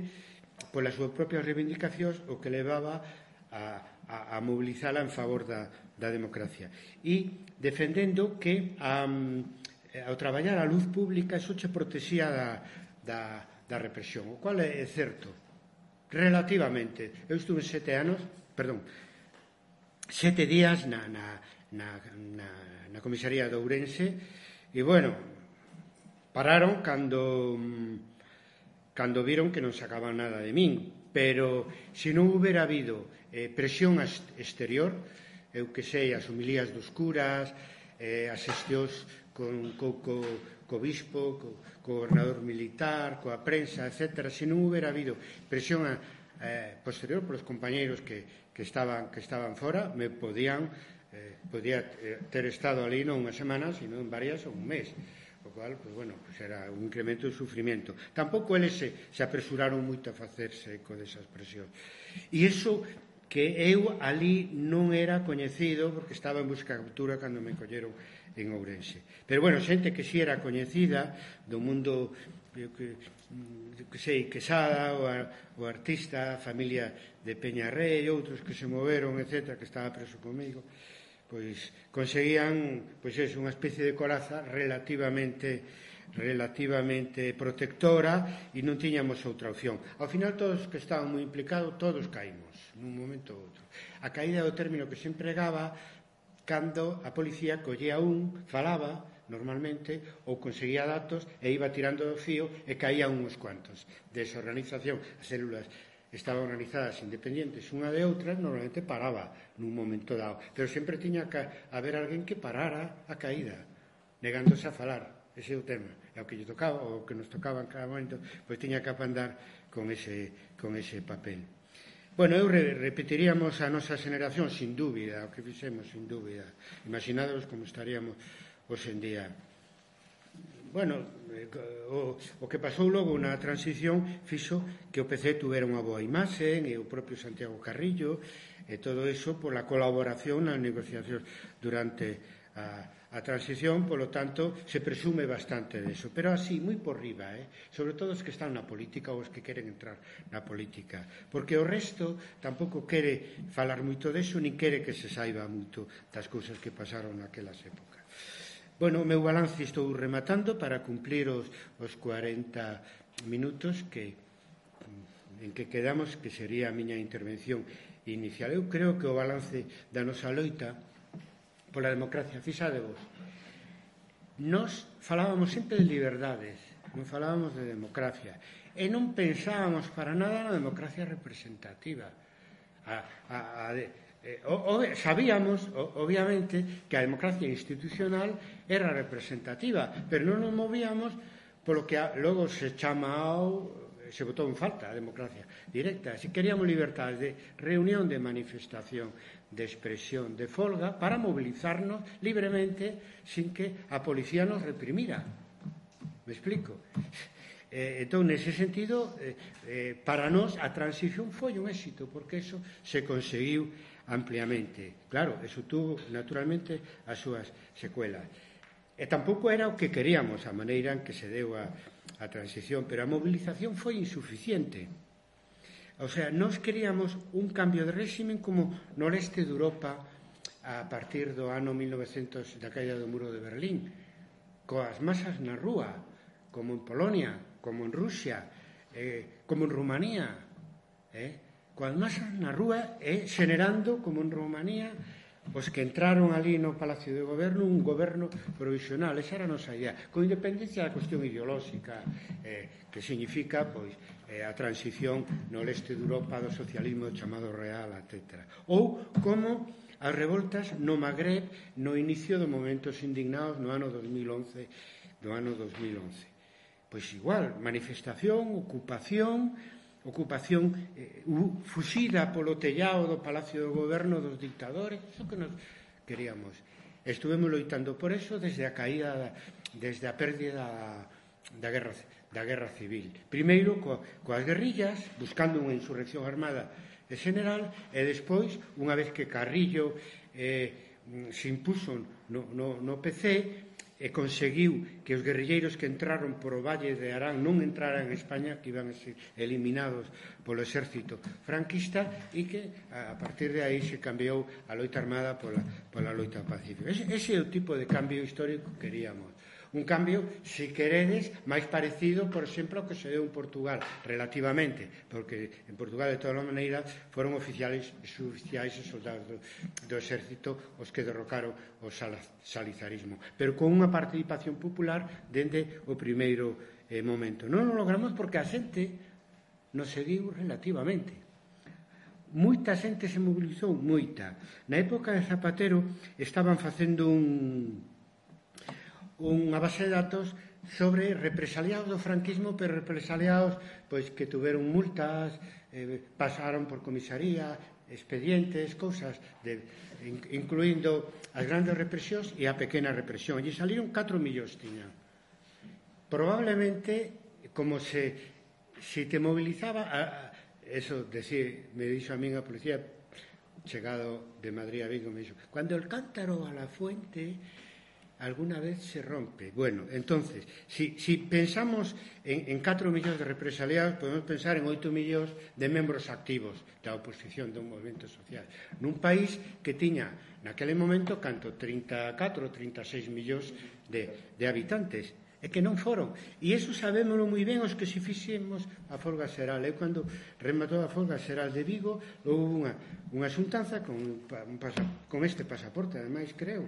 polas súas propias reivindicacións, o que levaba a mobilizala en favor da democracia. E defendendo que ao traballar a luz pública eso che protexía da represión, o cual é certo relativamente. Eu estuve 7 días na comisaría de Ourense e, bueno, Pararon cando viron que non sacaban nada de min, pero se non houbera habido presión exterior, eu que sei, as homilías dos curas, as xestións co bispo, co gobernador militar, coa prensa, etc. Se non houbera habido presión posterior polos compañeiros que estaban fora, me podía ter estado ali non unha semana, sino en varias ou un mes. O cual, era un incremento de sufrimento. Tampouco eles se apresuraron moito a facerse eco desas presións. E iso que eu ali non era coñecido porque estaba en busca de captura cando me colleron en Ourense. Pero, xente que si era coñecida do mundo, Quesada, o artista, a familia de Peñarrey, outros que se moveron, etc., que estaba preso comigo, pois conseguían unha especie de coraza relativamente protectora e non tiñamos outra opción. Ao final, todos que estaban moi implicados, todos caímos, nun momento ou outro. A caída é o término que se empregaba cando a policía collía falaba normalmente, ou conseguía datos e iba tirando do fío e caía uns cuantos. Desorganización, as células estaban organizadas independientes unha de outra, normalmente paraba nun momento dado, pero sempre tiña que haber alguén que parara a caída, negándose a falar. Ese é o tema, é o que lle tocaba, o que nos tocaba en cada momento, pois tiña que apandar con ese papel. Eu repetiríamos a nosa xeneración, sin dúbida, o que fixemos, sin dúbida. Imaginádevos como estaríamos hoxe en día. O que pasou logo na transición fixo que o PC tuvera unha boa imaxe, e o propio Santiago Carrillo, e todo iso pola colaboración nas negociacións durante a transición, polo tanto, se presume bastante deso. Pero así, moi por riba, sobre todo os que están na política ou os que queren entrar na política. Porque o resto tampouco quere falar moito deso, nin quere que se saiba moito das cousas que pasaron naquelas épocas. O meu balance estou rematando para cumplir os 40 minutos en que quedamos, que sería a miña intervención inicial. Eu creo que o balance da nosa loita pola democracia, fixádevos, nós falábamos sempre de liberdades, non falábamos de democracia, e non pensábamos para nada na democracia representativa. Sabíamos, obviamente, que a democracia institucional era representativa, pero non nos movíamos polo que logo se botou en falta a democracia directa. Si queríamos libertades de reunión, de manifestación, de expresión, de folga, para mobilizarnos libremente sin que a policía nos reprimira. Me explico? Entón, nese sentido, para nós a transición foi un éxito, porque eso se conseguiu ampliamente. Claro, eso tuvo, naturalmente, as súas secuelas. E tampouco era o que queríamos, a maneira en que se deu a transición, pero a movilización foi insuficiente. O sea, nós queríamos un cambio de réximen como no leste de Europa a partir do ano 1900, da caída do muro de Berlín, coas masas na rúa, como en Polonia, como en Rusia, como en Rumanía, coas masas na rúa e xenerando, como en Rumanía, os que entraron ali no Palacio de Goberno, un goberno provisional. Esa era a nosa idea, con independencia da cuestión ideolóxica, que significa a transición no leste de Europa do socialismo chamado real, etc. Ou como as revoltas no Magreb no inicio dos momentos indignados no ano 2011. Pois igual, manifestación, ocupación fuxida polo tellado do Palacio do Goberno dos dictadores, iso que nos queríamos. Estuvemos loitando por eso desde a caída, desde a pérdida da guerra civil. Primeiro coas guerrillas, buscando unha insurrección armada e general, e despois, unha vez que Carrillo se impuso no PC, e conseguiu que os guerrilleiros que entraron por o Valle de Arán non entraran en España, que iban a ser eliminados polo exército franquista, e que a partir de aí se cambiou a loita armada pola loita pacífica. Ese é o tipo de cambio histórico que queríamos. un cambio, se queredes, máis parecido, por exemplo, ao que se deu en Portugal, relativamente, porque en Portugal, de toda maneira, foron oficiais e soldados do exército os que derrocaron o salizarismo, pero con unha participación popular dende o primeiro momento. Non o logramos porque a xente non seguiu relativamente. Moita xente se mobilizou, moita. Na época de Zapatero estaban facendo unha base de datos sobre represaliados do franquismo, pero represaliados pois que tuveron multas, pasaron por comisaría, expedientes, cousas, incluindo as grandes represións e a pequena represión. E saliron 4 millóns, tiñan. Probablemente, como se te mobilizaba... Eso, me dixo a min a policía, chegado de Madrid a Vigo, me dixo, cando el cántaro a la fuente alguna vez se rompe. Bueno, entonces, si pensamos en 4 millóns de represaliados, podemos pensar en 8 millóns de membros activos da oposición dun movimento social. Nun país que tiña, naquele momento, 34 ou 36 millóns de habitantes. É que non foron. E iso sabémoslo moi ben os que se fixemos a folga xeral. Eu, cando rematou a folga xeral de Vigo, houve unha xuntanza con este pasaporte, ademais, creo.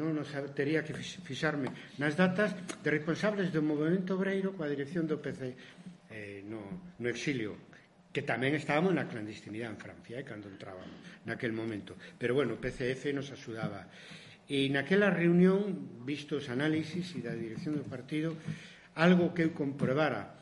Non tería que fixarme nas datas de responsables do movimento obreiro coa dirección do PC no exilio, que tamén estábamos na clandestinidade en Francia, cando entrábamos naquel momento. Pero, bueno, o PCF nos axudaba. E naquela reunión, visto os análisis e da dirección do partido, algo que eu comprobara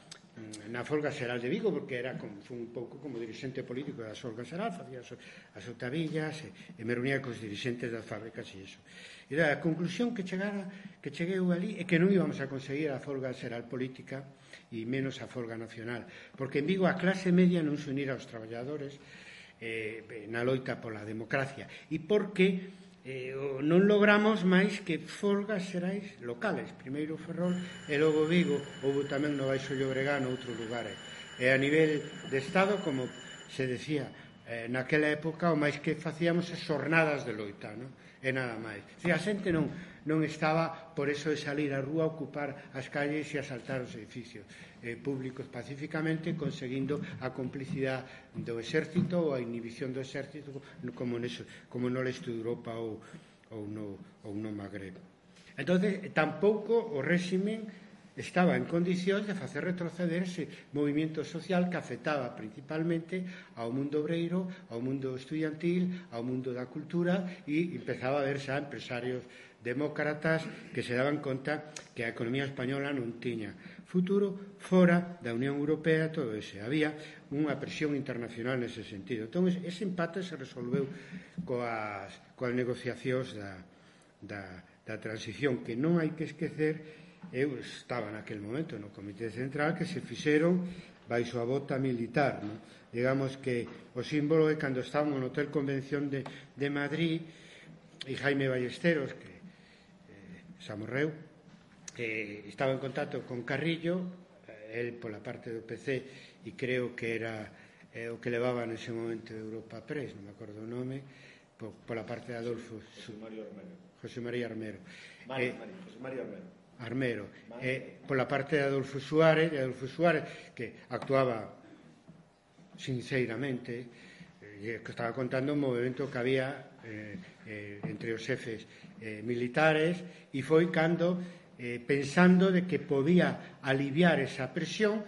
na folga xeral de Vigo, porque foi un pouco como dirixente político da folga xeral, facía as otavillas e me reunía cos dirixentes das fábricas e iso. E a conclusión que cheguei ali é que non íbamos a conseguir a folga xeral política e menos a folga nacional, porque en Vigo a clase media non se unira aos traballadores na loita pola democracia, e porque non logramos máis que folgas xerais locales, primeiro Ferrol e logo Vigo, houve tamén no Baixo Llobregat, noutros lugares, e a nivel de Estado, como se decía naquela época, o máis que facíamos é xornadas de loita, non? E nada máis. A xente non estaba por eso de salir á rúa a ocupar as calles e asaltar os edificios públicos pacíficamente, conseguindo a complicidade do exército ou a inhibición do exército, como no leste de Europa ou no Magreb. Entón, tampouco o réxime estaba en condicións de facer retroceder ese movimento social que afectaba principalmente ao mundo obreiro, ao mundo estudiantil, ao mundo da cultura, e empezaba a ver xa empresarios demócratas que se daban conta que a economía española non tiña futuro fora da Unión Europea, todo ese. Había unha presión internacional nese sentido. Entón, ese empate se resolveu coas negociacións da transición, que non hai que esquecer. Eu estaba naquele momento no Comité Central, que se fixeron baixo a bota militar, non? Digamos que o símbolo é cando estábamos no Hotel Convención de Madrid, e Jaime Ballesteros, que xa morreu, estaba en contacto con Carrillo, el pola parte do PC, e creo que era o que levaba nese momento Europa Press, non me acordo o nome, pola parte de Adolfo José María Armero. José María Armero, pola parte de Adolfo Suárez, que actuaba sinceramente, que estaba contando un movimento que había entre os xefes militares, e foi cando, pensando de que podía aliviar esa presión,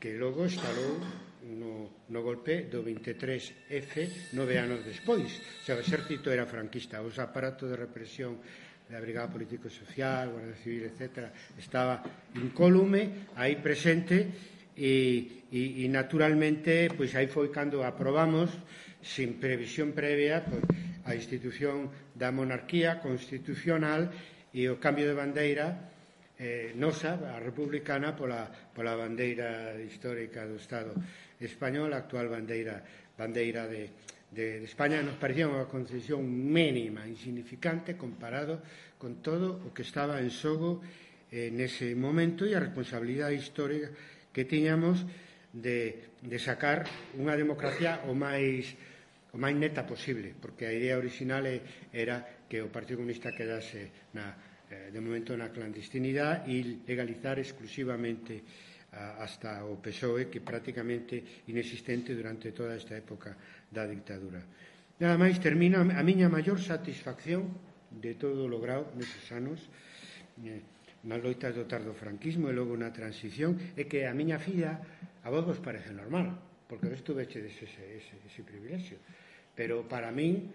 que logo estalou no golpe do 23F 9 anos despois. O sea, o exército era franquista, os aparatos de represión da Brigada Político-Social, Guardia Civil, etc., estaba incólume aí presente, e naturalmente pois aí foi cando aprobamos sin previsión previa a institución da monarquía constitucional e o cambio de bandeira nosa, a republicana, pola bandeira histórica do Estado español, a actual bandeira de España. Nos parecía unha concesión mínima, insignificante, comparado con todo o que estaba en xogo nese momento, e a responsabilidade histórica que tiñamos de sacar unha democracia o máis neta posible, porque a idea original era que o Partido Comunista quedase de momento na clandestinidade e legalizar exclusivamente hasta o PSOE, que prácticamente inexistente durante toda esta época da dictadura. Nada máis, termina a miña maior satisfacción de todo o logrado neses anos nas loitas do tardofranquismo e logo na transición, é que a miña filla a vos parece normal, porque vos tuvechedes ese privilexio, pero para min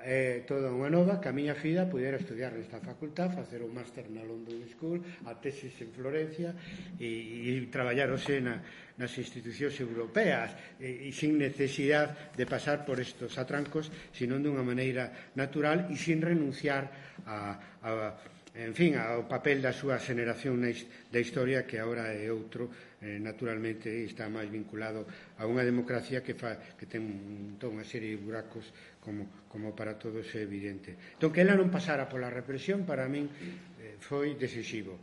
é toda unha nova que a miña filla pudera estudiar nesta facultad, facer o máster na London School, a tesis en Florencia e traballar hoxe nas institucións europeas e sin necesidade de pasar por estos atrancos, sino dunha maneira natural e sin renunciar ao papel da súa xeneración da historia, que agora é outro, naturalmente está máis vinculado a unha democracia que ten toda unha serie de buracos como para todos é evidente. Entón, que ela non pasara pola represión, para min foi decisivo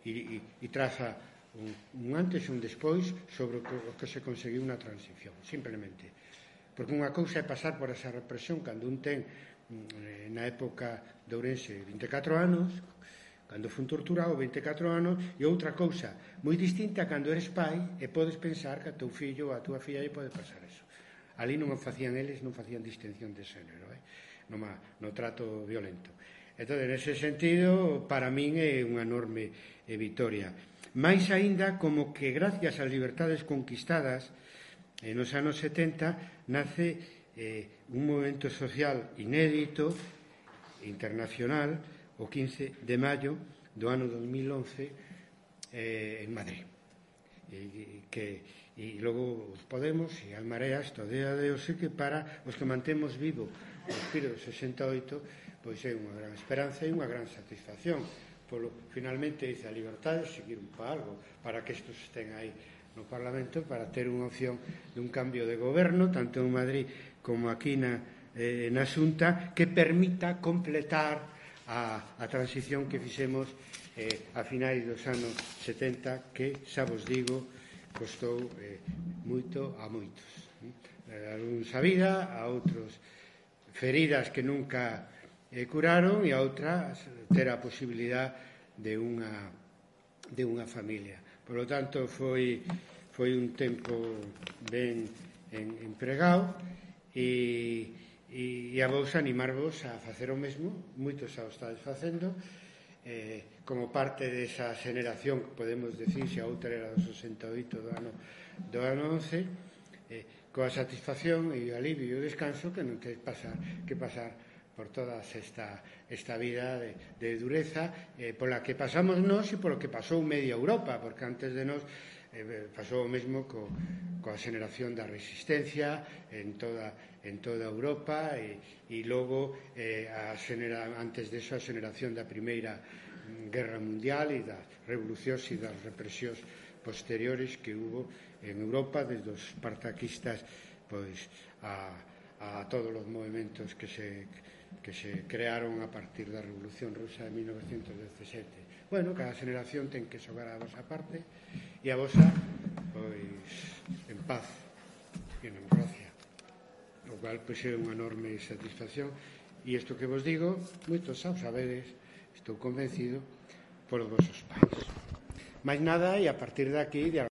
e traza un antes e un despois sobre o que se conseguiu na transición, simplemente. Porque unha cousa é pasar por esa represión cando un ten, na época de Ourense, 24 anos, cando fun torturado 24 anos, e outra cousa moi distinta cando eres pai e podes pensar que a teu fillo ou a túa filla lle pode pasar eso. Ali non facían eles, non facían distinción de xénero, no trato violento. Entón, nese sentido, para min é unha enorme vitoria. Mais aínda como que gracias ás libertades conquistadas nos anos 70 nace un movimento social inédito, internacional, o 15 de maio do ano 2011 en Madrid. E logo os Podemos e as Mareas todavía de hoxe, que para os que mantemos vivo o espírito do 68, pois é unha gran esperanza e unha gran satisfacción. Finalmente dice a libertade seguir un pa algo, para que estos estén aí no Parlamento, para ter unha opción de un cambio de goberno, tanto en Madrid como aquí na Xunta, que permita completar a transición que fixemos a finais dos anos 70, que, xa vos digo, costou moito a moitos. A uns a vida, a outros feridas que nunca curaron, e a outras ter a posibilidade de unha familia. Por lo tanto, foi un tempo ben empregado, e a vos animarvos a facer o mesmo. Moitos xa o estades facendo, como parte desa xeneración que podemos decir, se a outra era do 68 do ano 11, coa satisfacción e o alivio e o descanso que non tedes que pasar por toda esta vida de dureza pola que pasamos nós e polo que pasou media Europa, porque antes de nós pasou o mesmo coa xeneración da resistencia en toda Europa, e logo antes de eso a xeneración da Primeira Guerra Mundial e das revolucións e das represións posteriores que hubo en Europa, desde os espartaquistas pois a todos os movimentos que se crearon a partir da Revolución Rusa de 1917. Bueno, cada xeneración ten que xogar a vosa parte, e a vosa, pois, en paz e en democracia, o cual pois é unha enorme satisfacción. E isto que vos digo, moitos xa o sabedes, estou convencido, por os vosos pais. Mais nada, e a partir de aquí